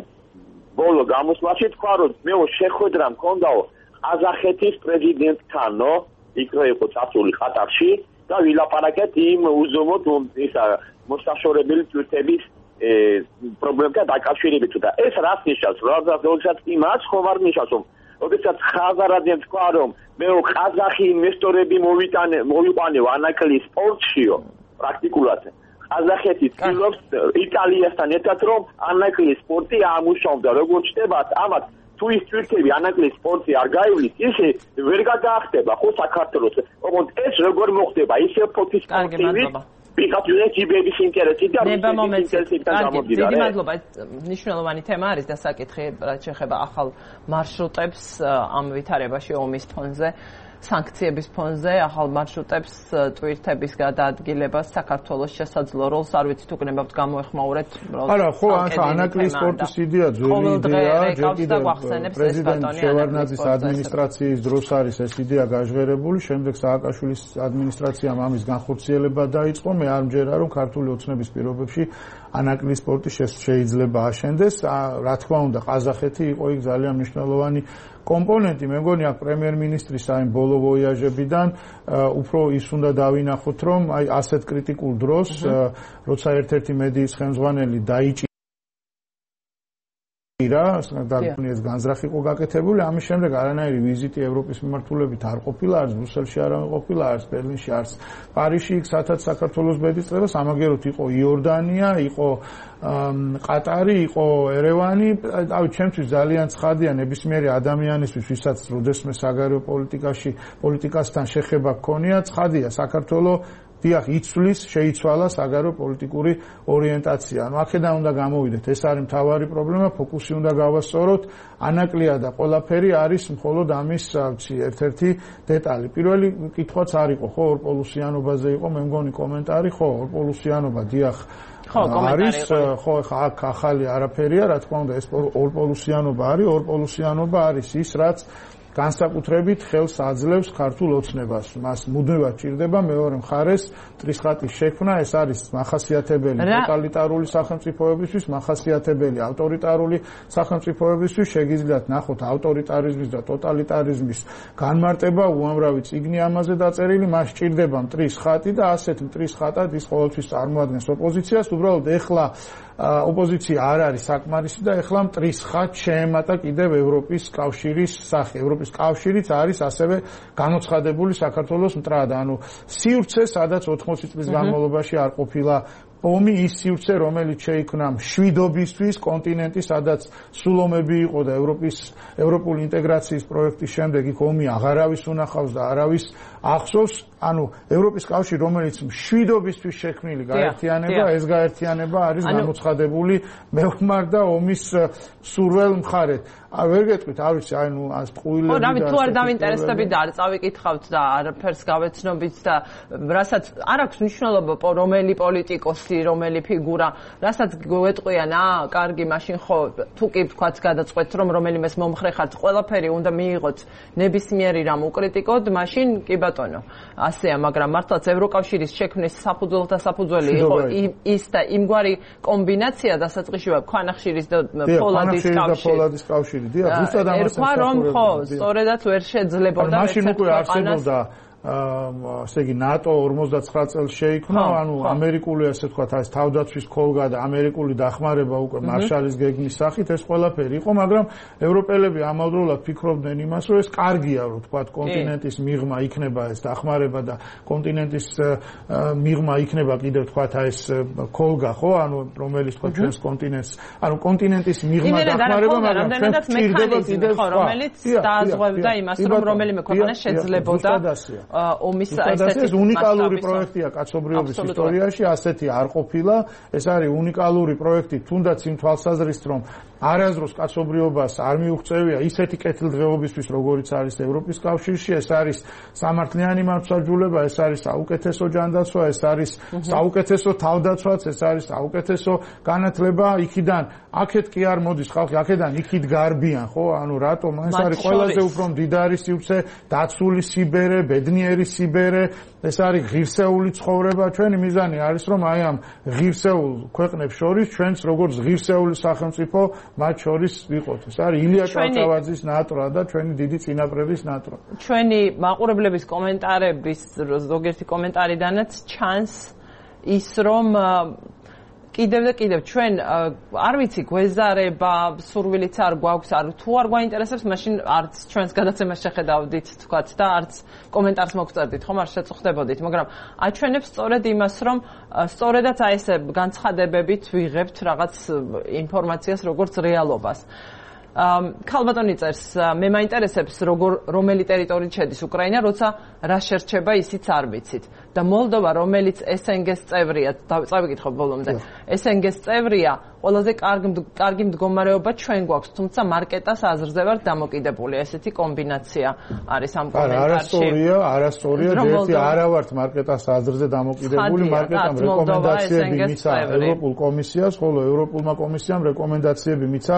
ბოლო გამოსვლაში თქვა რომ მე შეხვედრა მქონდაო ყაზახეთის პრეზიდენტთანო იქ იყო წასული ყატარში და ვილაპარაკეთ იმ უზომოდ ისა მოსაშორებელი თვისების პრობლემთან დაკავშირებით და ეს რას ნიშნავს? როდესაც იმას ხომ არ ნიშნავს რომ როდესაც ხაზარაძემ თქვა რომ მე ყაზახი ინვესტორები მოვიტანე მოვიყვანე ანაკლის სპორტშიო პრაქტიკულად ყაზახეთი ცდილობს იტალიასთან ერთად რომ ანაკლის სპორტი ამუშავდა როგორც ჩნდებათ ამათ თუ ის თვირთები ანაკლის სპორტი არ გაივლის ისე ვერ გადაახტება ხო საქართველოს ოღონდ ეს როგორ მოხდება ისე ფოთის სპორტივი ვიღაცის ჯიბების ინტერესი და ინტერესებიდან გამომდინარე. დიდი მადლობა. მნიშვნელოვანი თემა არის და საკითხი რაც შეეხება ახალ მარშრუტებს ამ ვითარებაში ომის ფონზე, სანქციების ფონზე, ახალ მარშრუტებს ტვირთების გადაადგილებას საქართველოს შესაძლო როლს არ ვიცით თუ გნებავთ გამოეხმაურეთ. არა, ხო, ანაკლის სპორტის იდეა ძველი იდეაა, ჯერ კიდევ პრეზიდენტ შევარდნაძის ადმინისტრაციის დროს არის ეს იდეა გაჟღერებული, შემდეგ სააკაშვილის ადმინისტრაციამ ამის განხორციელება დაიწყო. მე არ მჯერა რომ ქართული ოცნების პირობებში ანაკლის სპორტი შეიძლება აშენდეს. რა თქმა უნდა, ყაზახეთი იყო იქ ძალიან მნიშვნელოვანი კომპონენტი. მე მგონი აქ პრემიერ-მინისტრის აი ბოლო ვოიაჟებიდან უფრო ის უნდა დავინახოთ, რომ აი ასეთ კრიტიკულ დროს, როცა ერთ-ერთი მედიის ხელმძღვანელი დაიჭირა და ეს განზრახი იყო გაკეთებული, ამის შემდეგ არანაირი ვიზიტი ევროპის მიმართულებით არ ყოფილა, არც ბრუსელში არ ყოფილა, არც ბერლინში, არც პარიზში, იქ სადაც საქართველოს ბედის წევა, სამაგეროთ იყო იორდანია, იყო ყატარი, იყო ერევანი. აი ჩემთვის ძალიან ცხადია ნებისმიერი ადამიანისთვის, ვისაც როდესმე საგარეო პოლიტიკაში, პოლიტიკასთან შეხება გქონია, ცხადია საქართველოს დიახ იცვლის, შეიცვალა საგარეო პოლიტიკური ორიენტაცია. ანუ აქედან უნდა გამოვიდეთ, ეს არის მთავარი პრობლემა, ფოკუსი უნდა გავასწოროთ. ანაკლია და ყველაფერი არის მხოლოდ ამის ერთ-ერთი დეტალი. პირველი კითხვაც არ იყო, ხო, ორპოლუსიანობაზე იყო, მე მგონი კომენტარი, ხო, ორპოლუსიანობა დიახ არის, ხო, ხა აქ ახალი არაფერია, რა თქმა უნდა, ეს ორპოლუსიანობა არის, ორპოლუსიანობა არის ის, რაც განსაკუთრებით ხელს აძლევს ქართულ ოცნებას. მას მუდმივად ჭირდება მეორე მხარეს ტრისხატის შექმნა, ეს არის მახასიათებელი ტოტალიტარული სახელმწიფოებისთვის, მახასიათებელი ავტორიტარული სახელმწიფოებისთვის. შეგიძლიათ ნახოთ ავტორიტარიზმის და ტოტალიტარიზმის განმარტება, უამრავი წიგნი ამაზე დაწერილი, მას ჭირდება მტრის ხატი და ასეთ მტრის ხატად ის ყოველთვის წარმოადგენს ოპოზიციას. უბრალოდ ეხლა ოპოზიცია არ არის საკმარისი და ეხლა მტრის ხატს შეემატა კიდევ ევროპის კავშირის სახე. ევროპის კავშირიც არის ასევე გამოცხადებული საქართველოს მტრად. ანუ სივრცე, სადაც ოთხმოცი წლის განმავლობაში არ ყოფილა ომი, ის სივრცე, რომელიც შეიქმნა მშვიდობისთვის, კონტინენტი, სადაც სულომები იყო და ევროპის ევროპული ინტეგრაციის პროექტის შემდეგ იქ ომი აღარავის უნახავს და არავის ახსოვს. ანუ ევროპის კავშირი, რომელიც მშვიდობისთვის შექმნილი გაერთიანება, ეს გაერთიანება არის გამოცხადებული მეომარ და ომის სურველ მხარედ. ვერ გეტყვით, არ ვიცი, აი ნუ ამ ტყუილები და ხო, რავი, თუ არ დავინტერესდებით და არ წავიკითხავთ და არაფერს გავეცნობით და რასაც არ აქვს მნიშვნელობა რომელი პოლიტიკოსი, რომელი ფიგურა, რასაც გვეტყვიან, აა, კარგი, მაშინ ხო, თუ კი თქვაც გადაწყვეტთ, რომ რომელიმეს მომხრე ხართ, ყველაფერი უნდა მიიღოთ ნებისმიერი რამ უკრიტიკოდ, მაშინ კი ბატონო. ასეა, მაგრამ მართლაც ევროკავშირის შექმნის საფუძველთა საფუძველი იყო ის და იმგვარი კომბინაცია დასაწყისში ქვანახშირის და ფოლადის კავშირი. დიახ, ზუსტად ამას ერქვა რომ ხო, სწორედაც ვერ შეძლებოდა მაშინ უკვე არსებობდა ასე იგი ნატო ორმოცდაცხრა წელს შეიქმნა, ანუ ამერიკული ასე ვთქვათ, ეს თავდაცვის ქოლგა და ამერიკული დახმარება უკვე მარშალის გეგმის სახით ეს ყველაფერი იყო, მაგრამ ევროპელები ამავდროულად ფიქრობდნენ იმას, რომ ეს კარგია, რომ ვთქვათ, კონტინენტის მიღმა იქნება ეს დახმარება და კონტინენტის მიღმა იქნება კიდევ ვთქვათ, ეს ქოლგა, ხო, ანუ რომელიც ვთქვათ ჩვენს კონტინენტს, ანუ კონტინენტის მიღმა დახმარება, მაგრამ ჩვენს ჭირდება კიდევ ხო, რომელიც დააზღვევდა იმას, რომ რომელიმე ქვეყანა შეძლებოდა ომის ეს უნიკალური პროექტია კაცობრიობის ისტორიაში, ასეთი არ ყოფილა. ეს არის უნიკალური პროექტი, თუნდაც იმ თვალსაზრისით, რომ არასდროს კაცობრიობას არ მიუღწევია ისეთი კეთილდღეობისთვის, როგორიც არის ევროპის კავშირში. ეს არის სამართლიანი მართლმსაჯულება, ეს არის საუკეთესო ჯანდაცვა, ეს არის საუკეთესო თავდაცვაც, ეს არის საუკეთესო განათლება. იქიდან აქეთ კი არ მოდის ხალხი, აქედან იქით გარბიან, ხო? ანუ რატომ? ეს არის ყველაზე უფრო მდიდარი სივრცე, დაცული სიბერე, ბედნიერი სიბერე, ეს არის ღირსეული ცხოვრება. ჩვენი მიზანი არის, რომ აი ამ ღირსეულ ქვეყნებს შორის ჩვენც როგორც ღირსეული სახელმწიფო მათ შორის ვიყოთ. ეს არის ილია ჭავჭავაძის ნატრა და ჩვენი დიდი წინაპრების ნატრა. ჩვენი მაყურებლების კომენტარების ზოგიერთი კომენტარიდანაც ჩანს ის, რომ კიდევ და კიდევ ჩვენ არ ვიცი გვეზარება, სურვილიც არ გვაქვს, არ თუ არ გვაინტერესებს, მაშინ არც ჩვენს გადაცემას შეხედავდით თქვათ და არც კომენტარს მოგწერდით, ხომ არ შეწუხდებოდით, მაგრამ აჩვენებს სწორედ იმას, რომ სწორედაც აი ესე განცხადებებით ვიღებთ რაღაც ინფორმაციას როგორც რეალობას. ქალბატონი წერს, მე მაინტერესებს როგორ რომელი ტერიტორიით შედის უკრაინა, როცა რა შერჩება ისიც არ ვიცით. და მოლდოვა, რომელიც ეს ენ გი-ს წევრია, წავიკითხო ბოლომდე. ეს ენ გი-ს წევრია, ყველაზე კარგი მდგომარეობა ჩვენ გვაქვს, თუმცა მარკეტას აზრზე ვარ დამოკიდებული. ესეთი კომბინაცია არის ამ კომენტარში. არასწორია, არასწორია, ერთი არა ვართ მარკეტას აზრზე დამოკიდებული, მარკეტამ რეკომენდაციები მიცა ევროპულ კომისიას, ხოლო ევროპულმა კომისიამ რეკომენდაციები მიცა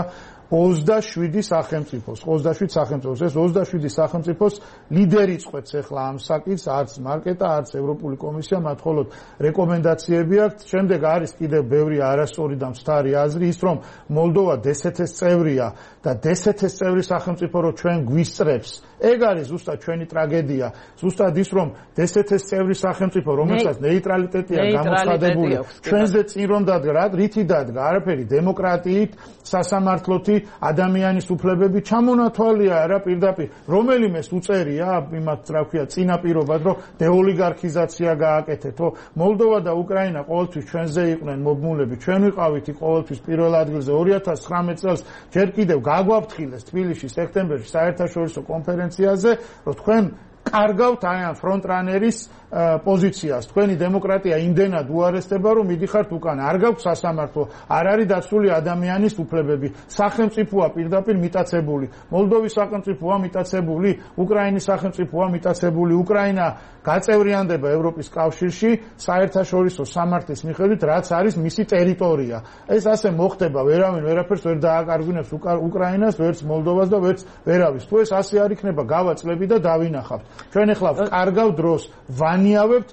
ოცდაშვიდი სახელმწიფოს, ოცდაშვიდ სახელმწიფოს, ეს ოცდაშვიდი სახელმწიფოს ლიდერი წყვეტს ახლა ამ საკითხს, არც მარკეტა, არც ევროპული კომისია, მათ მხოლოდ რეკომენდაციები აქვთ. შემდეგ არის კიდევ ბევრი არასწორი და მცდარი აზრი, ის რომ მოლდოვა დე ეს ეთ-ის წევრია და დე ეს ეთ-ის წევრი სახელმწიფო რო ჩვენ გვისწრებს, ეგ არის ზუსტად ჩვენი ტრაგედია, ზუსტად ის რომ დე ეს ეთ-ის წევრი სახელმწიფო, რომელსაც ნეიტრალიტეტია გამოცხადებული, ჩვენზე წინ რომ დადგა, რითი დადგა, არაფერი, დემოკრატიით, სასამართლოთი, ადამიანის უფლებები ჩამონათვალია რა პირდაპირ რომელიმეს უწერია იმათ რა ქვია წინაპირობად რომ დეოლიგარქიზაცია გააკეთეთო მოლდოვა და უკრაინა ყოველთვის ჩვენზე იყვნენ მობმულები ჩვენ ვიყავითი ყოველთვის პირველ ადგილზე ორი ათას ცხრამეტ წელს ჯერ კიდევ გაგვაფრთხილეს თბილისში სექტემბერში საერთაშორისო კონფერენციაზე რომ თქვენ კარგავთ აი ამ ფრონტრანერის პოზიციას. თქვენი დემოკრატია იმდენად უარესდება, რომ მიდიხართ უკან. არ გაქვთ სასამართლო, არ არის დაცული ადამიანის უფლებები. სახელმწიფოა პირდაპირ მიტაცებული. მოლდოვის სახელმწიფოა მიტაცებული, უკრაინის სახელმწიფოა მიტაცებული. უკრაინა გაწევრიანდება ევროპის კავშირში საერთაშორისო სამართლის მიხედვით, რაც არის მისი ტერიტორია. ეს ასე მოხდება, ვერავინ ვერაფერს ვერ დააკარგვინებს უკრაინას, ვერც მოლდოვას და ვერც ვერავის. თუ ეს ასე არ იქნება, გავაწლები და დავინახავთ. ჩვენ ახლა კარგავ დროს ვანიავებთ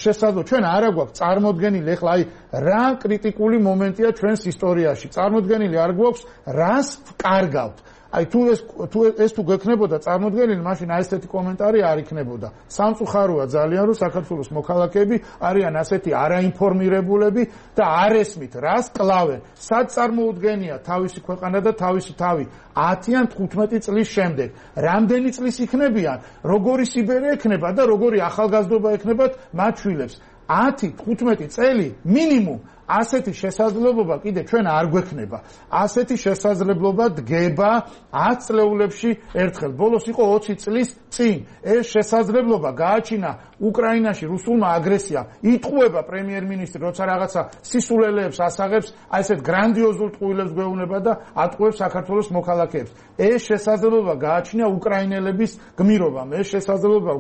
შესაძლოა ჩვენ არა გვაქვს წარმოდგენილი ახლა აი რა კრიტიკული მომენტია ჩვენს ისტორიაში წარმოდგენილი არ გვაქვს რას ვკარგავთ აი თუ ეს თუ ეს თუ გექნებოდა წარმოდგენილი მაშინ აი ესეთი კომენტარი არ იქნებოდა სამწუხაროა ძალიან რომ საქართველოს მოქალაქეები არიან ასეთი არაინფორმირებულები და არ ესმით რას კლავენ სად წარმოუდგენია თავისი ქვეყანა და თავისი თავი ათი ან თხუთმეტი წლის შემდეგ რამდენი წლის იქნებიან როგორი სიბერე ექნება და როგორი ახალგაზრდობა ექნებათ მათ შვილებს ათი თხუთმეტი წელი მინიმუმ ასეთი შესაძლებლობა კიდე ჩვენ არ გვექნება. ასეთი შესაძლებლობა დგება ათ წლეულებში ერთხელ. ბოლოს იყო ოცი წლის წინ. ეს შესაძლებლობა გააჩინა უკრაინაში რუსულმა აგრესიამ. იტყუება პრემიერ-მინისტრი, როცა რაღაცა სისულელეებს ასაღებს, აი ესეთ გრანდიოზულ ტყუილებს გვეუბნება და ატყუებს საქართველოს მოქალაქეებს. ეს შესაძლებლობა გააჩინა უკრაინელების გმირობამ. ეს შესაძლებლობა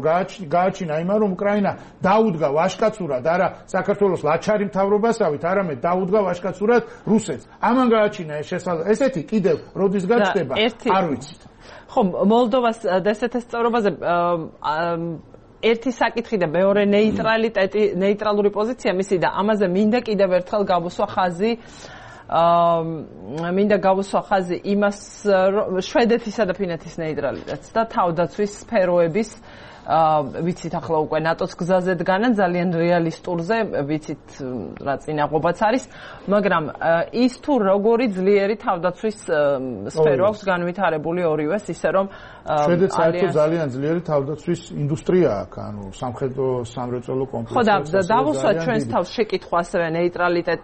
გააჩინა იმან, რომ უკრაინა დაუდგა ვაჟკაცურად არა საქართველოს ლაჩარი მთავრობასავით, არამედ დაუდგა ვაჟკაცურად რუსეთს. ამან გააჩინა ეს შესაძლებლობა. ესეთი კიდევ როდის გაჩნდება, არ ვიცით. ხო, მოლდოვას დე ეს ეთ-ის წევრობაზე ერთი საკითხი და მეორე ნეიტრალიტეტი, ნეიტრალური პოზიცია მისი და ამაზე მინდა კიდევ ერთხელ გავუსვა ხაზი აა მინდა გავუსვა ხაზი იმას შვედეთისა და ფინეთის ნეიტრალიტეტს და თავდაცვის სფეროების აა ვიცით ახლა უკვე ნატოს გზაზე დგანან ძალიან რეალისტურზე ვიცით რა წინაღობაც არის მაგრამ ის თუ როგორი ძლიერი თავდაცვის სფერო აქვს განვითარებული ორივეს ისე რომ შვედეთს საერთოდ ძალიან ძლიერი თავდაცვის ინდუსტრია აქვს ანუ სამხედრო სამრეწველო კომპლექსი ხო და დავუსვათ ჩვენს თავს შეკითხვა ასევე ნეიტრალიტეტ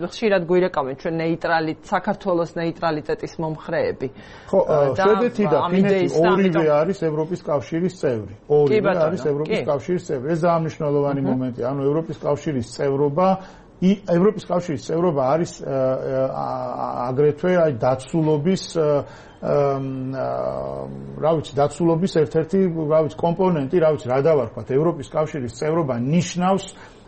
ხშირად გვირეკავენ ჩვენ ნეიტრალიტ საქართველოს ნეიტრალიტეტის მომხრეები ხო შვედეთი და ფინეთი ორივე არის ევროპის კავშირის წევრი ორივე არის ევროპის კავშირის წევრი. ეს დაამნიშნულოვანი მომენტია. ანუ ევროპის კავშირის წევრობა, ევროპის კავშირის წევრობა არის აგრეთვე აი დაცულობის რა ვიცი, დაცულობის ერთ-ერთი რა ვიცი კომპონენტი, რა ვიცი, რა დავარქვათ, ევროპის კავშირის წევრობა ნიშნავს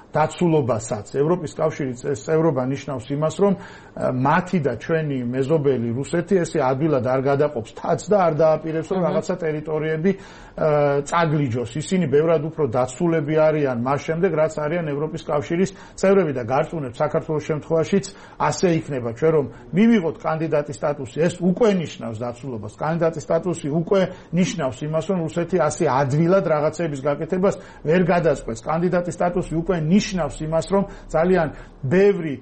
დაცულობასაც. ევროპის კავშირის წევრობა ნიშნავს იმას, რომ მათი და ჩვენი მეზობელი რუსეთი ესე ადვილად არ გადაყოფს თაც და არ დააპირებს, რომ რაღაცა ტერიტორიები წაგლიჯოს. ისინი ბევრად უფრო დაცულები არიან მას შემდეგ, რაც არიან ევროპის კავშირის წევრები და გარწმუნებს საქართველოს შემთხვევაშიც ასე იქნება. ჩვენ რომ მივიღოთ კანდიდატის სტატუსი, ეს უკვე ნიშნავს დაცულობას. კანდიდატის სტატუსი უკვე ნიშნავს იმას, რომ რუსეთი ასე ადვილად რაღაცების გაკეთებას ვერ გადაწყვეტს. კანდიდატის სტატუსი უკვე ნიშნავს იმას, რომ ძალიან ბევრი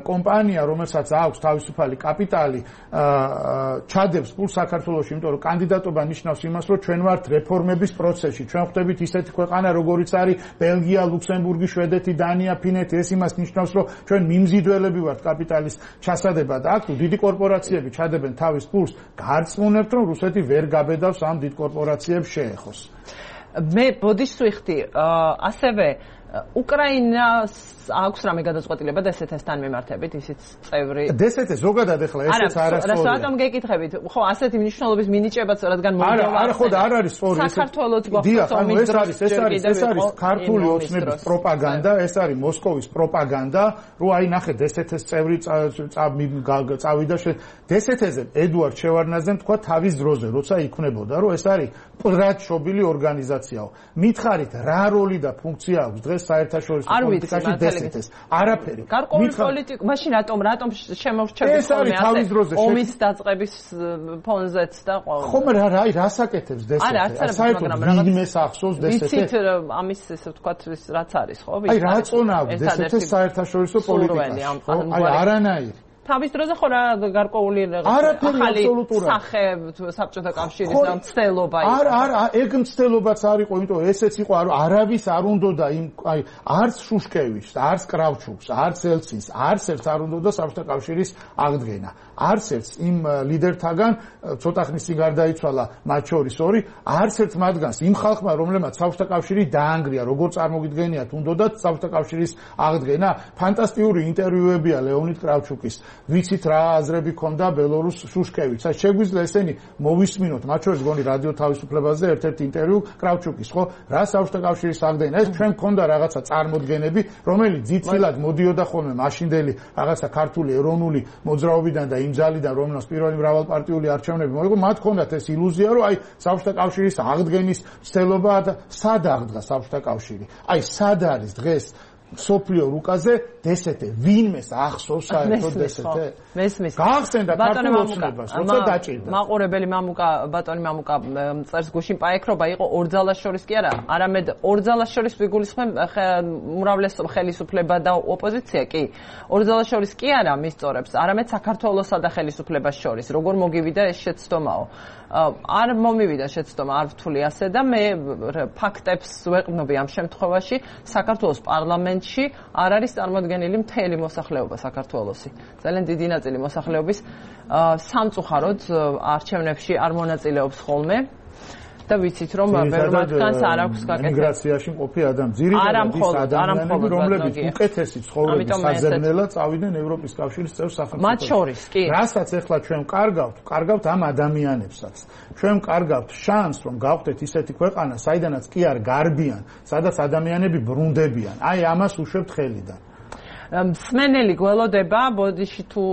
კომპანია, რომელსაც აქვს თავისუფალი კაპიტალი, ჩადებს ფულს საქართველოში, იმიტომ რომ კანდიდატობა ნიშნავს იმას, რომ ჩვენ ვართ რეფორმების პროცესში. ჩვენ ხვდებით ისეთი ქვეყანა, როგორიც არის ბელგია, ლუქსემბურგი, შვედეთი, დანია, ფინეთი, ეს იმას ნიშნავს, რომ ჩვენ მიმზიდველები ვართ კაპიტალის ჩასადებად. აქ თუ დიდი კორპორაციები ჩადებენ თავის ფულს, გარწმუნებთ, რომ რუსეთი ვერ გაბედავს ამ დიდ კორპორაციებს შეეხოს. მე ბოდიშს ვიხდი, ასევე უკრაინას აქვს რამე გადაწყვეტილება დსთ-თან მიმართებით, ისიც წევრი. დსთ ზოგადად ახლა ესეც არასწორია. არა, რატომ გეკითხებით? ხო, ასეთი მნიშვნელობის მინიჭებაც, რადგან მოლდოვა. არა, არა, ხო და არ არის სწორი. საქართველოს გვახსოვს ომის ეს არის, ეს არის, ეს არის ქართული ოცნების პროპაგანდა, ეს არის მოსკოვის პროპაგანდა, რომ აი ნახე დსთ-ს წევრი წავიდა დსთ-ზე ედუარდ შევარდნაძემ თქვა თავის დროზე, როცა იქნებოდა, რომ ეს არის პრატშობილი ორგანიზაციაო. მითხარით, რა როლი და ფუნქცია აქვს დღეს საერთაშორისო პოლიტიკაში დსთ-ს? არაფერი. გარკვეული პოლიტიკა, მაშინ რატომ რატომ შემორჩებით ხოლმე ასე ომის დაწყების ფონზეც და ყოველ. ხომ რა რა რასაკეთებს დსთ? არა, არც არა, მაგრამ რაღაც ვინმეს ახსოვს დსთ? ვიცით ამის ესე ვთქვათ რაც არის, ხო? აი რა წონა აქვს დსთ-ს საერთაშორისო პოლიტიკაში? აი არანაირი. თავის დროზე ხო რა გარკვეული ახალი სახე საბჭოთა კავშირის და მცდელობა იყო. არა, არა, ეგ მცდელობაც არ იყო, იმიტომ ესეც იყო, არავის არ უნდოდა იმ აი არც შუშკევის, არც კრავჩუკს, არც ელცინს, არც ერთს არ უნდოდა საბჭოთა კავშირის აღდგენა. არც ერთს იმ ლიდერთაგან ცოტა ხნის წინ გარდაიცვალა მათ შორის ორი, არც ერთ მათგანს იმ ხალხმა, რომლებმაც საბჭოთა კავშირი დაანგრია, როგორ წარმოგიდგენიათ, უნდოდათ საბჭოთა კავშირის აღდგენა. ფანტასტიკური ინტერვიუებია ლეონიდ კრავჩუკის. ვიცით რა აზრები ქონდა ბელორუს შუშკევიჩს. აი შეგვიძლია ესენი მოვისმინოთ, მათ შორის გონი რადიო თავისუფლებაზე ერთ-ერთ ინტერვიუ კრავჩუკის, ხო? რა საბჭოთა კავშირის აღდგენა? ეს ჩვენ ქონდა რაღაცა წარმოდგენები, რომელიც ძიცილად მოდიოდა ხოლმე მაშინდელი რაღაცა ქართული ეროვნული მოძრაობიდან და იმ ძალიდან, რომელსაც პირველი მრავალპარტიული არჩევნები მოიგო, მათ ქონდათ ეს ილუზია, რომ აი საბჭოთა კავშირის აღდგენის ცდელობა და სად აღდგა საბჭოთა კავშირი? აი სად არის დღეს სოფლიო რუკაზე დსთ? ვინმეს ახსოვს საერთოდ დსთ? მესმის. გაახსენდა ქართულ ოცნებას, როცა დაჭირდა. მაყურებელი მამუკა, ბატონი მამუკა წერს გუშინ პაექრობა იყო ორ ძალას შორის კი არა, არამედ ორ ძალას შორის ვიგულისხმებ უმრავლეს ხელისუფლება და ოპოზიცია კი. ორ ძალას შორის კი არა მისწორებს, არამედ საქართველოსა და ხელისუფლებას შორის. როგორ მოგივიდა ეს შეცდომაო? არ მომივიდა შეცდომა, არ ვთვლი ასე და მე ფაქტებს ვეყნობი ამ შემთხვევაში. საქართველოს პარლამენტში არ არის წარმოდგენილი მთელი მოსახლეობა საქართველოსი. ძალიან დიდი ნაწილი მოსახლეობის სამწუხაროდ არჩევნებში არ მონაწილეობს ხოლმე. და ვიცით რომ ბევრ მათგანს არ აქვს გაკეთებული ემიგრაციაში მყოფი ადამი, ძირითადად ის ადამიანები, რომლებიც უკეთესი ცხოვრების საზრდელად წავიდნენ ევროპის კავშირის წევრ სახელმწიფოებში. მათ შორის კი. რასაც ახლა ჩვენ კარგავთ, კარგავთ ამ ადამიანებსაც. ჩვენ კარგავთ შანსს, რომ გავხდეთ ისეთი ქვეყანა, საიდანაც კი არ გარბიან, სადაც ადამიანები ბრუნდებიან. აი ამას უშვებთ ხელიდან. მსმენელი გველოდება, ბოდიში თუ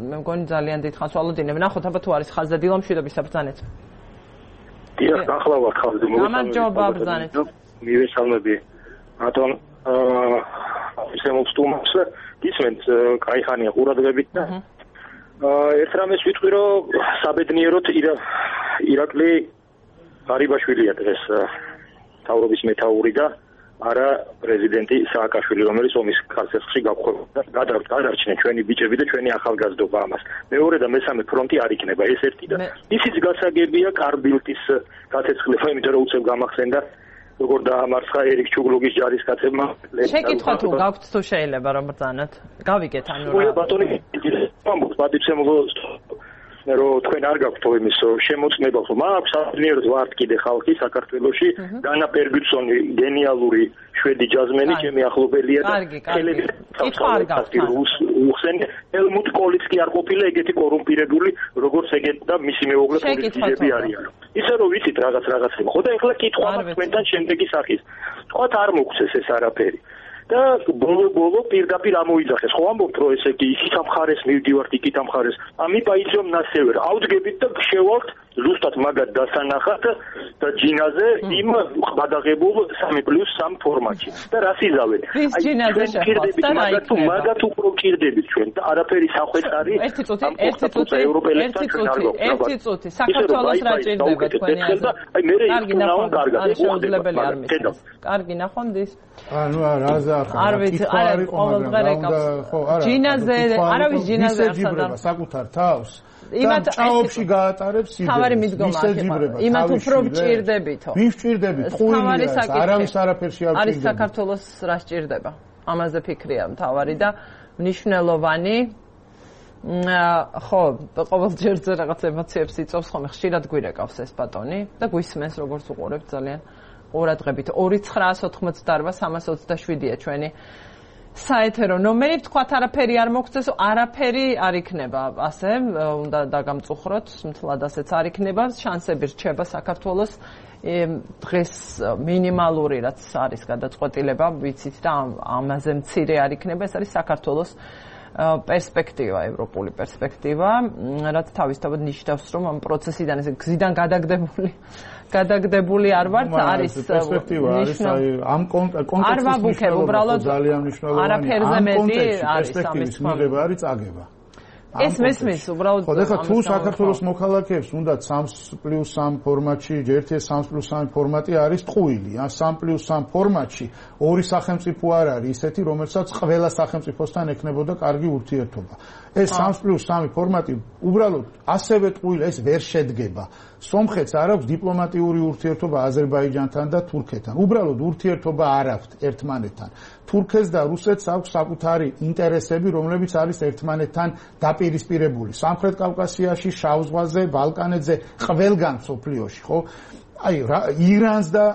მე მგონი ძალიან დიდ ხანს ვალოდინებ. ნახოთ აბა თუ არის ხაზი და დილომშვიდობის საბრძანეთ. დიახ, ახლა ვარ ხალხი მოგესალმებით. ბრძანეთ. მივესალმები. ბატონ, აა შემოწ თუმას ისმენთ კაი ხანია ყურადღებით და აა ერთ რამეს ვიტყვი, რომ საბედნიეროდ ირაკლი ღარიბაშვილია დღეს თავრობის მეთაური და არა პრეზიდენტი სააკაშვილი, რომელიც ომის ხარჯებში გაგხვდება. გადარჩნენ ჩვენი ბიჭები და ჩვენი ახალგაზრდობა ამას. მეორე და მესამე ფრონტი არ იქნება ეს ერთი და ისიც გასაგებია კარბილტის გაცეცხლება, იმიტომ რომ უცებ გამახსენდა როგორ დაამარცხა ერიკ ჩუგლუგის ჯარისკაცებმა. შეკითხვა თუ გაქვთ თუ შეიძლება რომ ბრძანოთ. გავიგეთ ანუ რა. ბატონი, პატივცემულო რომ თქვენ არ გაქვთ იმის შემოწმება, რომ აქვს საბედნიეროდ ვართ კიდე ხალხი საქართველოში, დანა ფერგუსონი გენიალური შვედი ჯაზმენი, ჩემი ახლობელია და ხელები უხსენ ელმუტ კოლიც კი არ ყოფილა ეგეთი კორუმპირებული, როგორც ეგეთ და მისი მეუღლე პოლიტიკები არიან. ისე რომ ვიცით რაღაც რაღაცები. ხო და ეხლა კითხვა თქვენთან შემდეგი სახის. თქვათ არ მოგცეს ეს არაფერი. და ბოლო-ბოლო პირდაპირ ამოიძახეს. ხო ამბობთ, რომ ესე იგი იქით ამხარეს, მივდივართ იქით ამხარეს. ამი პაიძომ ნასევერ. ავდგებით და გშევალთ ზუსტად მაგათ დასანახად და ჯინაზე იმ გადაღებულ სამი პლუს სამი ფორმატში და რას იზავენ? აი ჯინაზე შეხვდებით მაგათ თუ მაგათ უფრო გჭირდებით ჩვენ და არაფერი სახვეც არის. ერთი წუთი, ერთი წუთი, ერთი წუთი, ერთი წუთი. საქართველოს რა ჭირდება თქვენი აზრით? აი მე ისწავლავ კარგად. შეუძლებელი არ მისცემს. კარგი ნახონდის. ანუ რაზე ახლა არ ვიცი, არა ყოველდღე რეკავს. ჯინაზე, არავის ჯინაზე არ ხდება საკუთარ თავს. იმათ ჭაობში გაატარებს სიძე. თავარი მიდგომა აქ. იმათ უფრო გჭირდებითო. ვინ გჭირდებით? ყურია, არავის არაფერში არ გჭირდება. არის საქართველოს რა სჭირდება? ამაზე ფიქრია მთავარი და მნიშვნელოვანი. ხო, ყოველჯერზე რაღაც ემოციებს იწვევს ხოლმე, ხშირად გვირეკავს ეს ბატონი და გვისმენს როგორც უყურებთ ძალიან ყურადღებით. ორი ცხრაას ოთხმოცდაოთხ სამას ოცდაშვიდია ჩვენი საეთერო ნომერი. თქვათ არაფერი არ მოგწეს, არაფერი არ იქნება ასე, უნდა დაგამწუხროთ, მთლად ასეც არ იქნება, შანსები რჩება საქართველოს დღეს მინიმალური რაც არის გადაწყვეტილება, ვიცით და ამაზე მცირე არ იქნება, ეს არის საქართველოს პერსპექტივა, ევროპული პერსპექტივა, რაც თავისთავად ნიშნავს, რომ ამ პროცესიდან ეს გზიდან გადაგდებული გადაგდებული არ ვართ, არის პერსპექტივა, არის აი ამ კონტექსტის მნიშვნელობა ძალიან მნიშვნელოვანია. არაფერზე მეტი არის ამის მიღება არის წაგება. ეს მესმის უბრალოდ ხო, ეხლა თუ საქართველოს მოქალაქეებს უნდა სამი პლუს სამი ფორმატში, ერთი სამი პლუს სამი ფორმატი არის ტყუილი, ან სამი პლუს სამი ფორმატში ორი სახელმწიფო არ არის ისეთი, რომელსაც ყველა სახელმწიფოსთან ექნებოდა კარგი ურთიერთობა. ეს სამი პლუს სამი ფორმატი უბრალოდ ასევე ტყუილი, ეს ვერ შედგება. სომხეთს არ აქვს დიპლომატიური ურთიერთობა აზერბაიჯანთან და თურქეთთან. უბრალოდ ურთიერთობა არ აქვთ ერთმანეთთან. თურქეთს და რუსეთს აქვს საკუთარი ინტერესები, რომლებიც არის ერთმანეთთან დაპირისპირებული. სამხრეთ კავკასიაში, შავ ზღვაზე, ბალკანეთზე, ყველგან სოფლიოში, ხო? აი ირანს და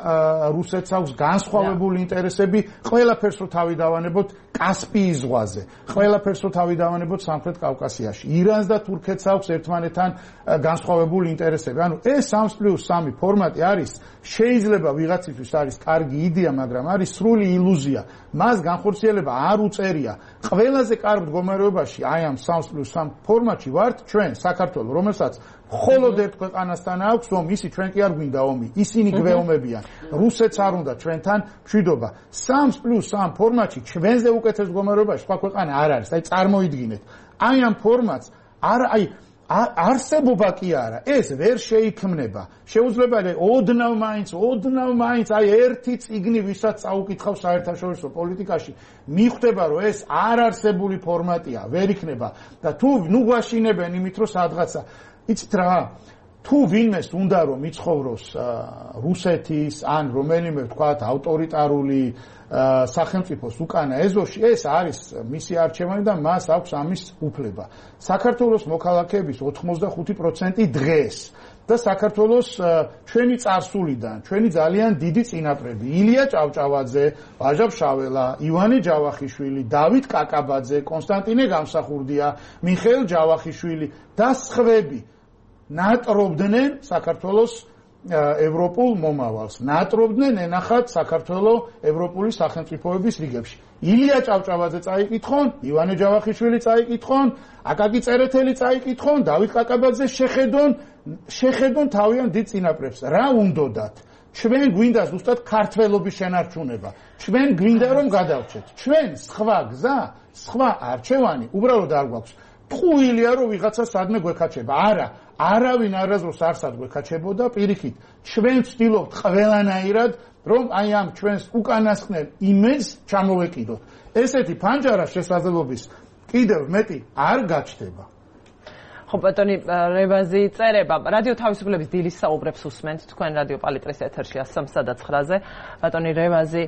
რუსეთს აქვს განსხვავებული ინტერესები, ყველაფერს რო თავი დავანებოთ კასპიის ზღვაზე, ყველაფერს რო თავი დავანებოთ სამხრეთ კავკასიაში. ირანს და თურქეთს აქვს ერთმანეთთან განსხვავებული ინტერესები. ანუ ეს სამი პლუს სამი ფორმატი არის, შეიძლება ვიღაცისთვის არის კარგი იდეა, მაგრამ არის სრული ილუზია. მას განხორციელება არ უწერია. ყველაზე კარგ მდგომარეობაში აი ამ სამი პლუს სამი ფორმატში ვართ ჩვენ საქართველო, რომელსაც მხოლოდ ერთ ქვეყანასთან აქვს ომი, ისი ჩვენ კი არ გვინდა ომი, ისინი გვეომებიან. რუსეთს არ უნდა ჩვენთან მშვიდობა. სამი პლუს სამი ფორმატში ჩვენზე უკეთეს მდგომარეობაში სხვა ქვეყანა არ არის. აი წარმოიდგინეთ. აი ამ ფორმატს არ აი არსებობა კი არა, ეს ვერ შეიქმნება. შეუძლებელია ოდნავ მაინც, ოდნავ მაინც აი ერთი წიგნი ვისაც წაუკითხავს საერთაშორისო პოლიტიკაში, მიხვდება რომ ეს არ არსებული ფორმატია, ვერ იქნება და თუ ნუ გვაშინებენ იმით რომ სადღაცა იცით რა, თუ ვინმეს უნდა რომ მიცხოვროს რუსეთის ან რომელიმე ვთქვათ ავტორიტარული სახელმწიფოს უკანა ეზოში, ეს არის მისი არჩევანი და მას აქვს ამის უფლება. საქართველოს მოქალაქეების ოთხმოცდახუთი პროცენტი დღეს და საქართველოს ჩვენი წარსულიდან, ჩვენი ძალიან დიდი წინაპრები, ილია ჭავჭავაძე, ვაჟა ფშაველა, ივანე ჯავახიშვილი, დავით კაკაბაძე, კონსტანტინე გამსახურდია, მიხეილ ჯავახიშვილი და სხვები ნატრობდნენ საქართველოს ევროპულ მომავალს. ნატრობდნენ ენახათ საქართველოს ევროპული სახელმწიფოების რიგებში. ილია ჭავჭავაძე წაიკითხონ, ივანე ჯავახიშვილი წაიკითხონ, აკაკი წერეთელი წაიკითხონ, დავით კაკაბაძე შეხედონ, შეხედონ თავიანთ დიდ წინაპრებს. რა უნდოდათ? ჩვენ გვინდა ზუსტად ქართველობის შენარჩუნება. ჩვენ გვინდა რომ გადავჭეთ. ჩვენ სხვა გზა, სხვა არჩევანი უბრალოდ არ გვაქვს. ტყუილია რომ ვიღაცა სადმე გვეკაჩება. არა, არავინ არასდროს არ სად გვეკაჩებოდა, პირიქით. ჩვენ ვცდილობთ ყველანაირად რომ აი ამ ჩვენს უკანასკნელ იმედს ჩამოვეკიდოთ. ესეთი ფანჯარა შესაძლებლობის კიდევ მეტი არ გაჩნდება. ხო ბატონი რევაზი წერება რადიო თავისუფლების დილის საუბრებს უსმენთ თქვენ რადიო პალიტრის ეთერში სამსა და ცხრაზე. ბატონი რევაზი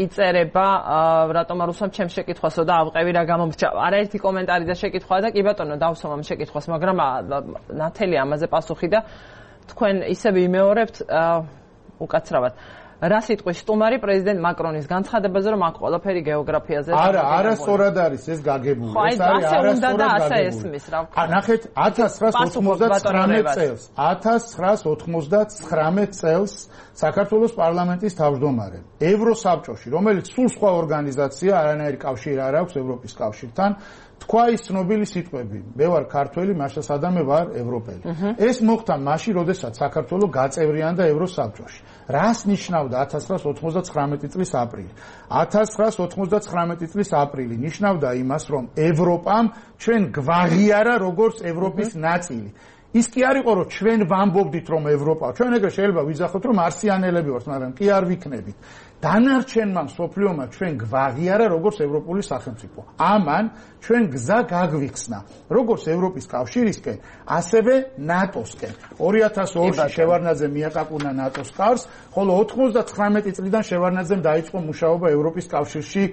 იწერება რატომ არ უსვამ ჩემს შეკითხვასო და ავყევი რა გამომრჩა. არაერთი კომენტარი და შეკითხვა და კი ბატონო დავსვამ ამ შეკითხვას, მაგრამ ნათელი ამაზე პასუხი და თქვენ ისევ იმეორებთ უკაცრავად. რა სიტყვის სტუმარი პრეზიდენტ მაკრონის განცხადებაზე, რომ აქ ყველაფერი გეოგრაფიაზე არა, არასწორად არის ეს გაგებული. ეს არის არასწორად გაგებული. ნახეთ ათას ცხრაას ოცდათხმეტ წელს, ათას ცხრაას ოცდათხმეტ წელს საქართველოს პარლამენტის თავმჯდომარე ევროსაბჭოში, რომელიც სულ სხვა ორგანიზაცია, არანაირი კავშირი არ აქვს ევროპის კავშირთან თქვა ის ცნობილი სიტყვები, მე ვარ ქართველი, მაშინ სადამე ვარ ევროპელი. ეს მოხდა მაშინ, როდესაც საქართველოს გაწევრიანდა ევროსაბჭოში. რას ნიშნავდა ათას ცხრაას ოთხმოცდათხრამეტი წლის აპრილი? ათას ცხრაას ოთხმოცდათხრამეტი წლის აპრილი ნიშნავდა იმას, რომ ევროპამ ჩვენ გვაღიარა როგორც ევროპის ნაწილი. ის კი არ იყო, რომ ჩვენ ვამბობდით, რომ ევროპა, ჩვენ ეგრე შეიძლება ვიძახოთ, რომ მარსიანელები ვართ, მაგრამ კი არ ვიქნებით. დანარჩენმა მსოფლიომა ჩვენ გვაღიარა როგორც ევროპული სახელმწიფო. ამან ჩვენ გზა გაგვიხსნა, როგორც ევროპის კავშირისკენ, ასევე ნატოსკენ. ორი ათას ორში შევარდნაძე მიაკაკუნა ნატოს კარს, ხოლო ოთხმოცდათხრამეტი წლიდან შევარდნაძემ დაიწყო მუშაობა ევროპის კავშირში,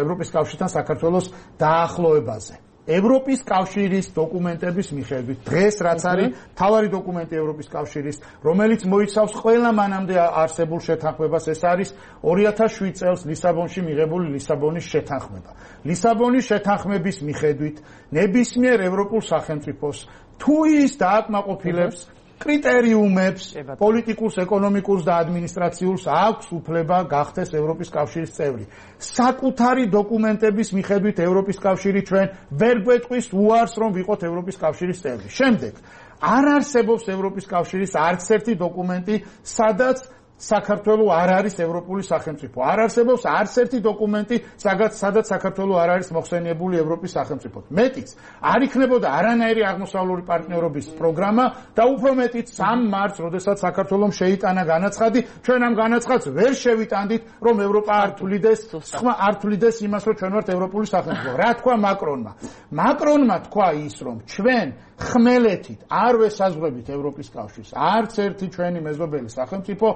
ევროპის კავშირთან საქართველოს დაახლოებაზე. ევროპის კავშირის დოკუმენტების მიხედვით დღეს რაც არის მთავარი დოკუმენტი ევროპის კავშირის, რომელიც მოიცავს ყველა მანამდე არსებულ შეთანხმებას, ეს არის ორი ათას შვიდ წელს ლისაბონში მიღებული ლისაბონის შეთანხმება. ლისაბონის შეთანხმების მიხედვით ნებისმიერ ევროპულ სახელმწიფოს თუ ის დააკმაყოფილებს კრიტერიუმებს, პოლიტიკურს, ეკონომიკურს და ადმინისტრაციულს აქვს უფლება გახდეს ევროპის კავშირის წევრი. საკუთარი დოკუმენტების მიხედვით ევროპის კავშირი ჩვენ ვერ გვეტყვის უარს, რომ ვიყოთ ევროპის კავშირის წევრი. შემდეგ, არ არსებობს ევროპის კავშირის არც ერთი დოკუმენტი, სადაც საქართველო არ არის ევროპული სახელმწიფო. არ არსებობს არც ერთი დოკუმენტი, სადაც საქართველო არ არის მოხსენიებული ევროპის სახელმწიფოდ. მეტიც, არ იქნებოდა არანაირი აღმოსავლური პარტნიორობის პროგრამა და უფრო მეტიც სამ მარტს, როდესაც საქართველომ შეიტანა განაცხადი, ჩვენ ამ განაცხადს ვერ შევიტანდით, რომ ევროპა არ თვლიდეს, სხვა არ თვლიდეს იმას, რომ ჩვენ ვართ ევროპული სახელმწიფო. რა თქვა მაკრონმა? მაკრონმა თქვა ის, რომ ჩვენ ხმელეთით არ ვესაზღვრებით ევროპის კავშირს. არც ერთი ჩვენი მეზობელი სახელმწიფო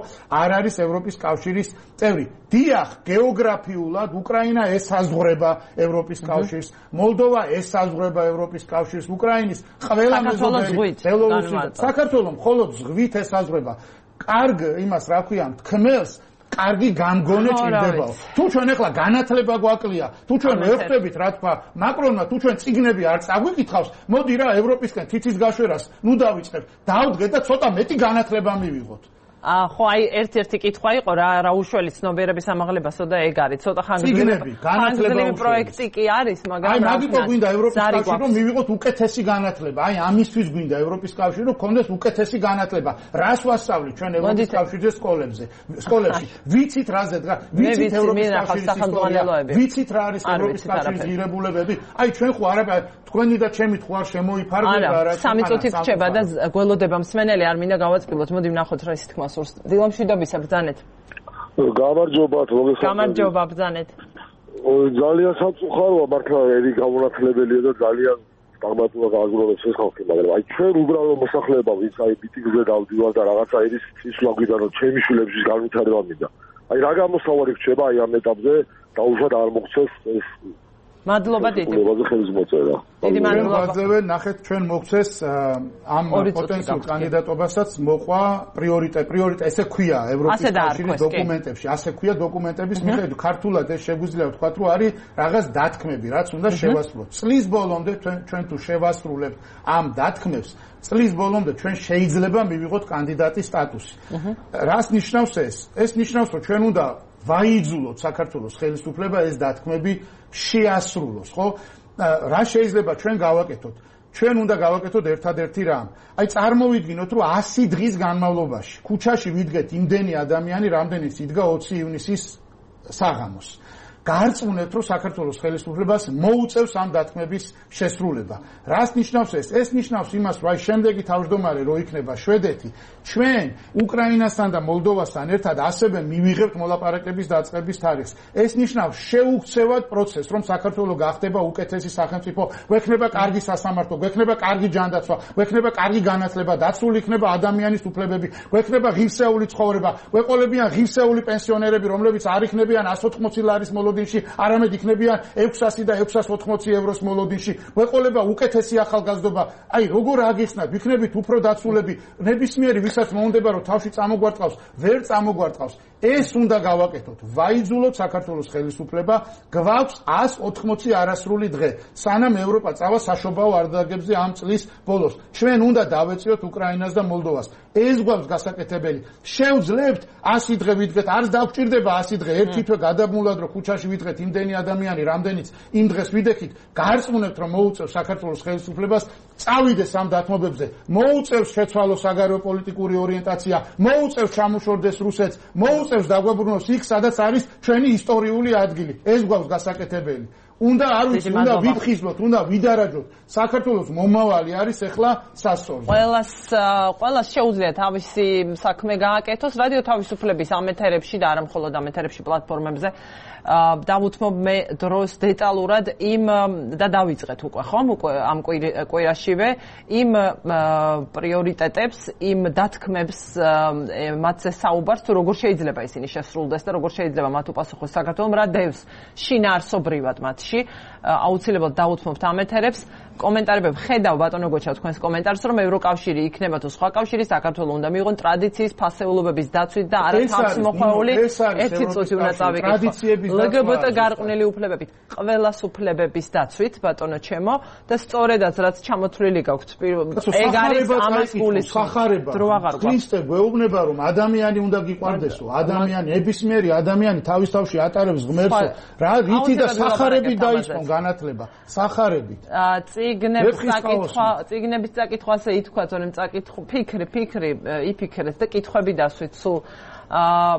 არ არის ევროპის კავშირის წევრი. დიახ, გეოგრაფიულად უკრაინა ესაზღვრება ევროპის კავშირს, მოლდოვა ესაზღვრება ევროპის კავშირს, უკრაინის ყველა მეზობელი ბელორუსი, საქართველო მხოლოდ ზღვით ესაზღვრება. კარგ იმას რა ქვია, თქმელს კარგი გამგონე ჭირდებაო. თუ ჩვენ ახლა განათლება გვაკლია, თუ ჩვენ ვეხვდებით რა თქვა მაკრონმა, თუ ჩვენ წიგნები არ წაგვიკითხავს, მოდი რა ევროპისკენ თითის გაშვერას ნუ დავიწყებ. დავდგეთ და ცოტა მეტი განათლება მივიღოთ. აა ხო, აი ერთ-ერთი კითხვა იყო რა რა უშველი ცნობიერების ამაღლებასო და ეგ არის. ცოტა ხანგრძლივი განათლება პროექტი კი არის, მაგრამ აი მაგიტო გვინდა ევროპის კავშირი რომ მივიღოთ უკეთესი განათლება. აი ამისთვის გვინდა ევროპის კავშირი რომ გქონდეს უკეთესი განათლება. რას ვასწავლით ჩვენ ევროპის კავშირის სკოლებზე, სკოლებში? ვიცით რაზე დგას? ვიცით ევროპის კავშირის სახელმწიფოები? ვიცით რა არის ევროპის კავშირის ღირებულებები? აი ჩვენ ხო არა თქვენი და ჩემი ხო არ შემოიფარგლება რა. სამი წუთი რჩება და გველოდება მსმენელი არ მინდა გავაწყილოთ. მოდი ვნახოთ რა ის თქმა დილამშვიდობისა ბრძანეთ. გამარჯობათ, მოგესალმებით. გამარჯობა, ბრძანეთ. ძალიან სამწუხაროა, მართლა ერი გამონათლებელია და ძალიან სტაგნატურა გააგრძელებს ეს ხალხი, მაგრამ აი ჩვენ უბრალო მოსახლეობა, ვინც აი მიტინგზე დავდივარ და რაღაცა ის ისლა გვიდა რომ ჩემი შვილებში განვითარება მინდა. აი რა გამოსავალი რჩება აი ამ ეტაპზე, დაუშვათ არ მოხდეს ეს მადლობა დიდი. დიდი მადლობა. ნახეთ ჩვენ მოგცეს ამ პოტენციალურ კანდიდატობასაც მოყვა პრიორიტეტი, პრიორიტეტი ესე ქვია ევროპის კავშირის დოკუმენტებში, ასე ქვია დოკუმენტების მიხედვით. ქართულად ეს შეგვიძლია ვთქვათ, რომ არის რაღაც დათქმები, რაც უნდა შევასრულოთ. წლის ბოლომდე ჩვენ თუ შევასრულებთ ამ დათქმებს, წლის ბოლომდე ჩვენ შეიძლება მივიღოთ კანდიდატის სტატუსი. რას ნიშნავს ეს? ეს ნიშნავს, რომ ჩვენ უნდა ვაიძულოთ საქართველოს ხელისუფლება ეს დათქმები შეასრულოს, ხო? რა შეიძლება ჩვენ გავაკეთოთ? ჩვენ უნდა გავაკეთოთ ერთადერთი რამ. აი წარმოვიდგინოთ, რომ ასი დღის განმავლობაში ქუჩაში ვიდგეთ იმდენი ადამიანი, რამდენიც იდგა ოცი ივნისის საღამოს. გარწმუნებთ, რომ საქართველოს ხელისუფლებას მოუწევს ამ დათქმების შესრულება. რას ნიშნავს ეს? ეს ნიშნავს იმას, რომ აი შემდეგი თავმჯდომარე რო იქნება შვედეთი, ჩვენ უკრაინასთან და მოლდოვასთან ერთად ასევე მივიღებთ მოლაპარაკების დაწყების თარიღს. ეს ნიშნავს შეუქცევად პროცესს, რომ საქართველო გახდება უკეთესი სახელმწიფო, გვექნება კარგი სასამართლო, გვექნება კარგი ჯანდაცვა, გვექნება კარგი განათლება, დაცული იქნება ადამიანის უფლებები, გვექნება ღირსეული ცხოვრება, გვეყოლებიან ღირსეული პენსიონერები, რომლებიც არ იქნებიან εκατს ოთხმოცი ლარის მოლოდინში, არამედ იქნებიან ექვსასი და ექვსას ოთხმოცი ევროს მოლოდინში. გვეყოლება უკეთესი ახალგაზრდობა. აი როგორ აგიხსნათ, ვიქნებით უფრო დაცულები, ნებისმიერი ვისაც მოუნდება რომ თავში წამოგვარტყავს, ვერ წამოგვარტყავს. ეს უნდა გავაკეთოთ. ვაიძულოთ საქართველოს ხელისუფლება, გვაქვს εκατს ოთხმოცი არასრული დღე, სანამ ევროპა წავა საშობაო არდაგებზე ამ წლის ბოლოს. ჩვენ უნდა დავეწიოთ უკრაინას და მოლდოვას. ეს გვაქვს გასაკეთებელი. შევძლებთ ასი დღე ვიდგეთ, არც დაგვჭირდება ასი დღე, ერთი თვე გადაბმულად რომ ქუჩაში ქვეყანაში ვიდღეთ იმდენი ადამიანი, რამდენიც იმ დღეს ვიდექით, გარწმუნებთ რომ მოუწევს საქართველოს ხელისუფლებას წავიდეს ამ დათმობებზე, მოუწევს შეცვალოს საგარეო პოლიტიკური ორიენტაცია, მოუწევს ჩამოშორდეს რუსეთს, მოუწევს დაგვებრუნოს იქ, სადაც არის ჩვენი ისტორიული ადგილი. ეს გვაქვს გასაკეთებელი. უნდა არ ვიცი, უნდა ვიფხიზლოთ, უნდა ვიდარაჯოთ. საქართველოს მომავალი არის ახლა სასწორზე. ყველას ყველას შეუძლია თავისი საქმე გააკეთოს რადიო თავისუფლების ამეთერებში და არა მხოლოდ ამეთერებში პლატფორმებზე. დავუთმობ მე დროს დეტალურად იმ და დავიწყეთ უკვე ხომ უკვე ამ კვირაშივე იმ პრიორიტეტებს, იმ დათქმებს მათზე საუბარს თუ როგორ შეიძლება ისინი შესრულდეს და როგორ შეიძლება მათ უპასუხოს საქართველოს რა დევს შინაარსობრივად მათში. აუცილებლად დავუთმობთ ამეთერებს. კომენტარები ხედავ ბატონო გოჩა თქვენს კომენტარს რომ ევროკავშირი იქნება თუ სხვა კავშირი საქართველოს უნდა მიიღონ ტრადიციის ფასეულობების დაცვით და არა თავს მოხვეული ერთი წუთი უნდა წავიკითხო ლგბტ გარყვნილი უფლებებით ყველას უფლებების დაცვით ბატონო ჩემო და სწორედაც რაც ჩამოთვლილი გაქვთ ეგ არის ამას გულისხმობს დრო აღარ გვაქვს ქრისტე გვეუბნება რომ ადამიანი უნდა გიყვარდესო ადამიანი ნებისმიერი ადამიანი თავის თავში ატარებს ღმერთს რა რითი და სახარებით დაიწყო განათლება სახარებით წიგნების წაკითხვა, წიგნების წაკითხვაზე ითქვათ, რომ წაკითხო ფიქრი, ფიქრი იფიქრეს და კითხვები დასვით სულ. აა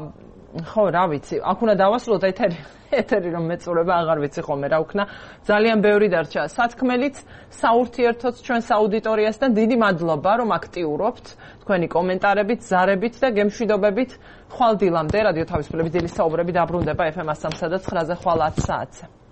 ხო, რა ვიცი, აქ უნდა დავასრულოთ ეთერი, ეთერი რომ მეწურება აღარ ვიცი ხოლმე რა ვქნა. ძალიან ბევრი დარჩა სათქმელიც, საურთიერთოც ჩვენს აუდიტორიასთან დიდი მადლობა, რომ აქტიურობთ თქვენი კომენტარებით, ზარებით და გემშვიდობებით. ხვალ დილამდე რადიო თავისუფლების დილის საუბრები დაბრუნდება ეფ ემ one oh three და nine-ზე ხვალ ათს საათზე.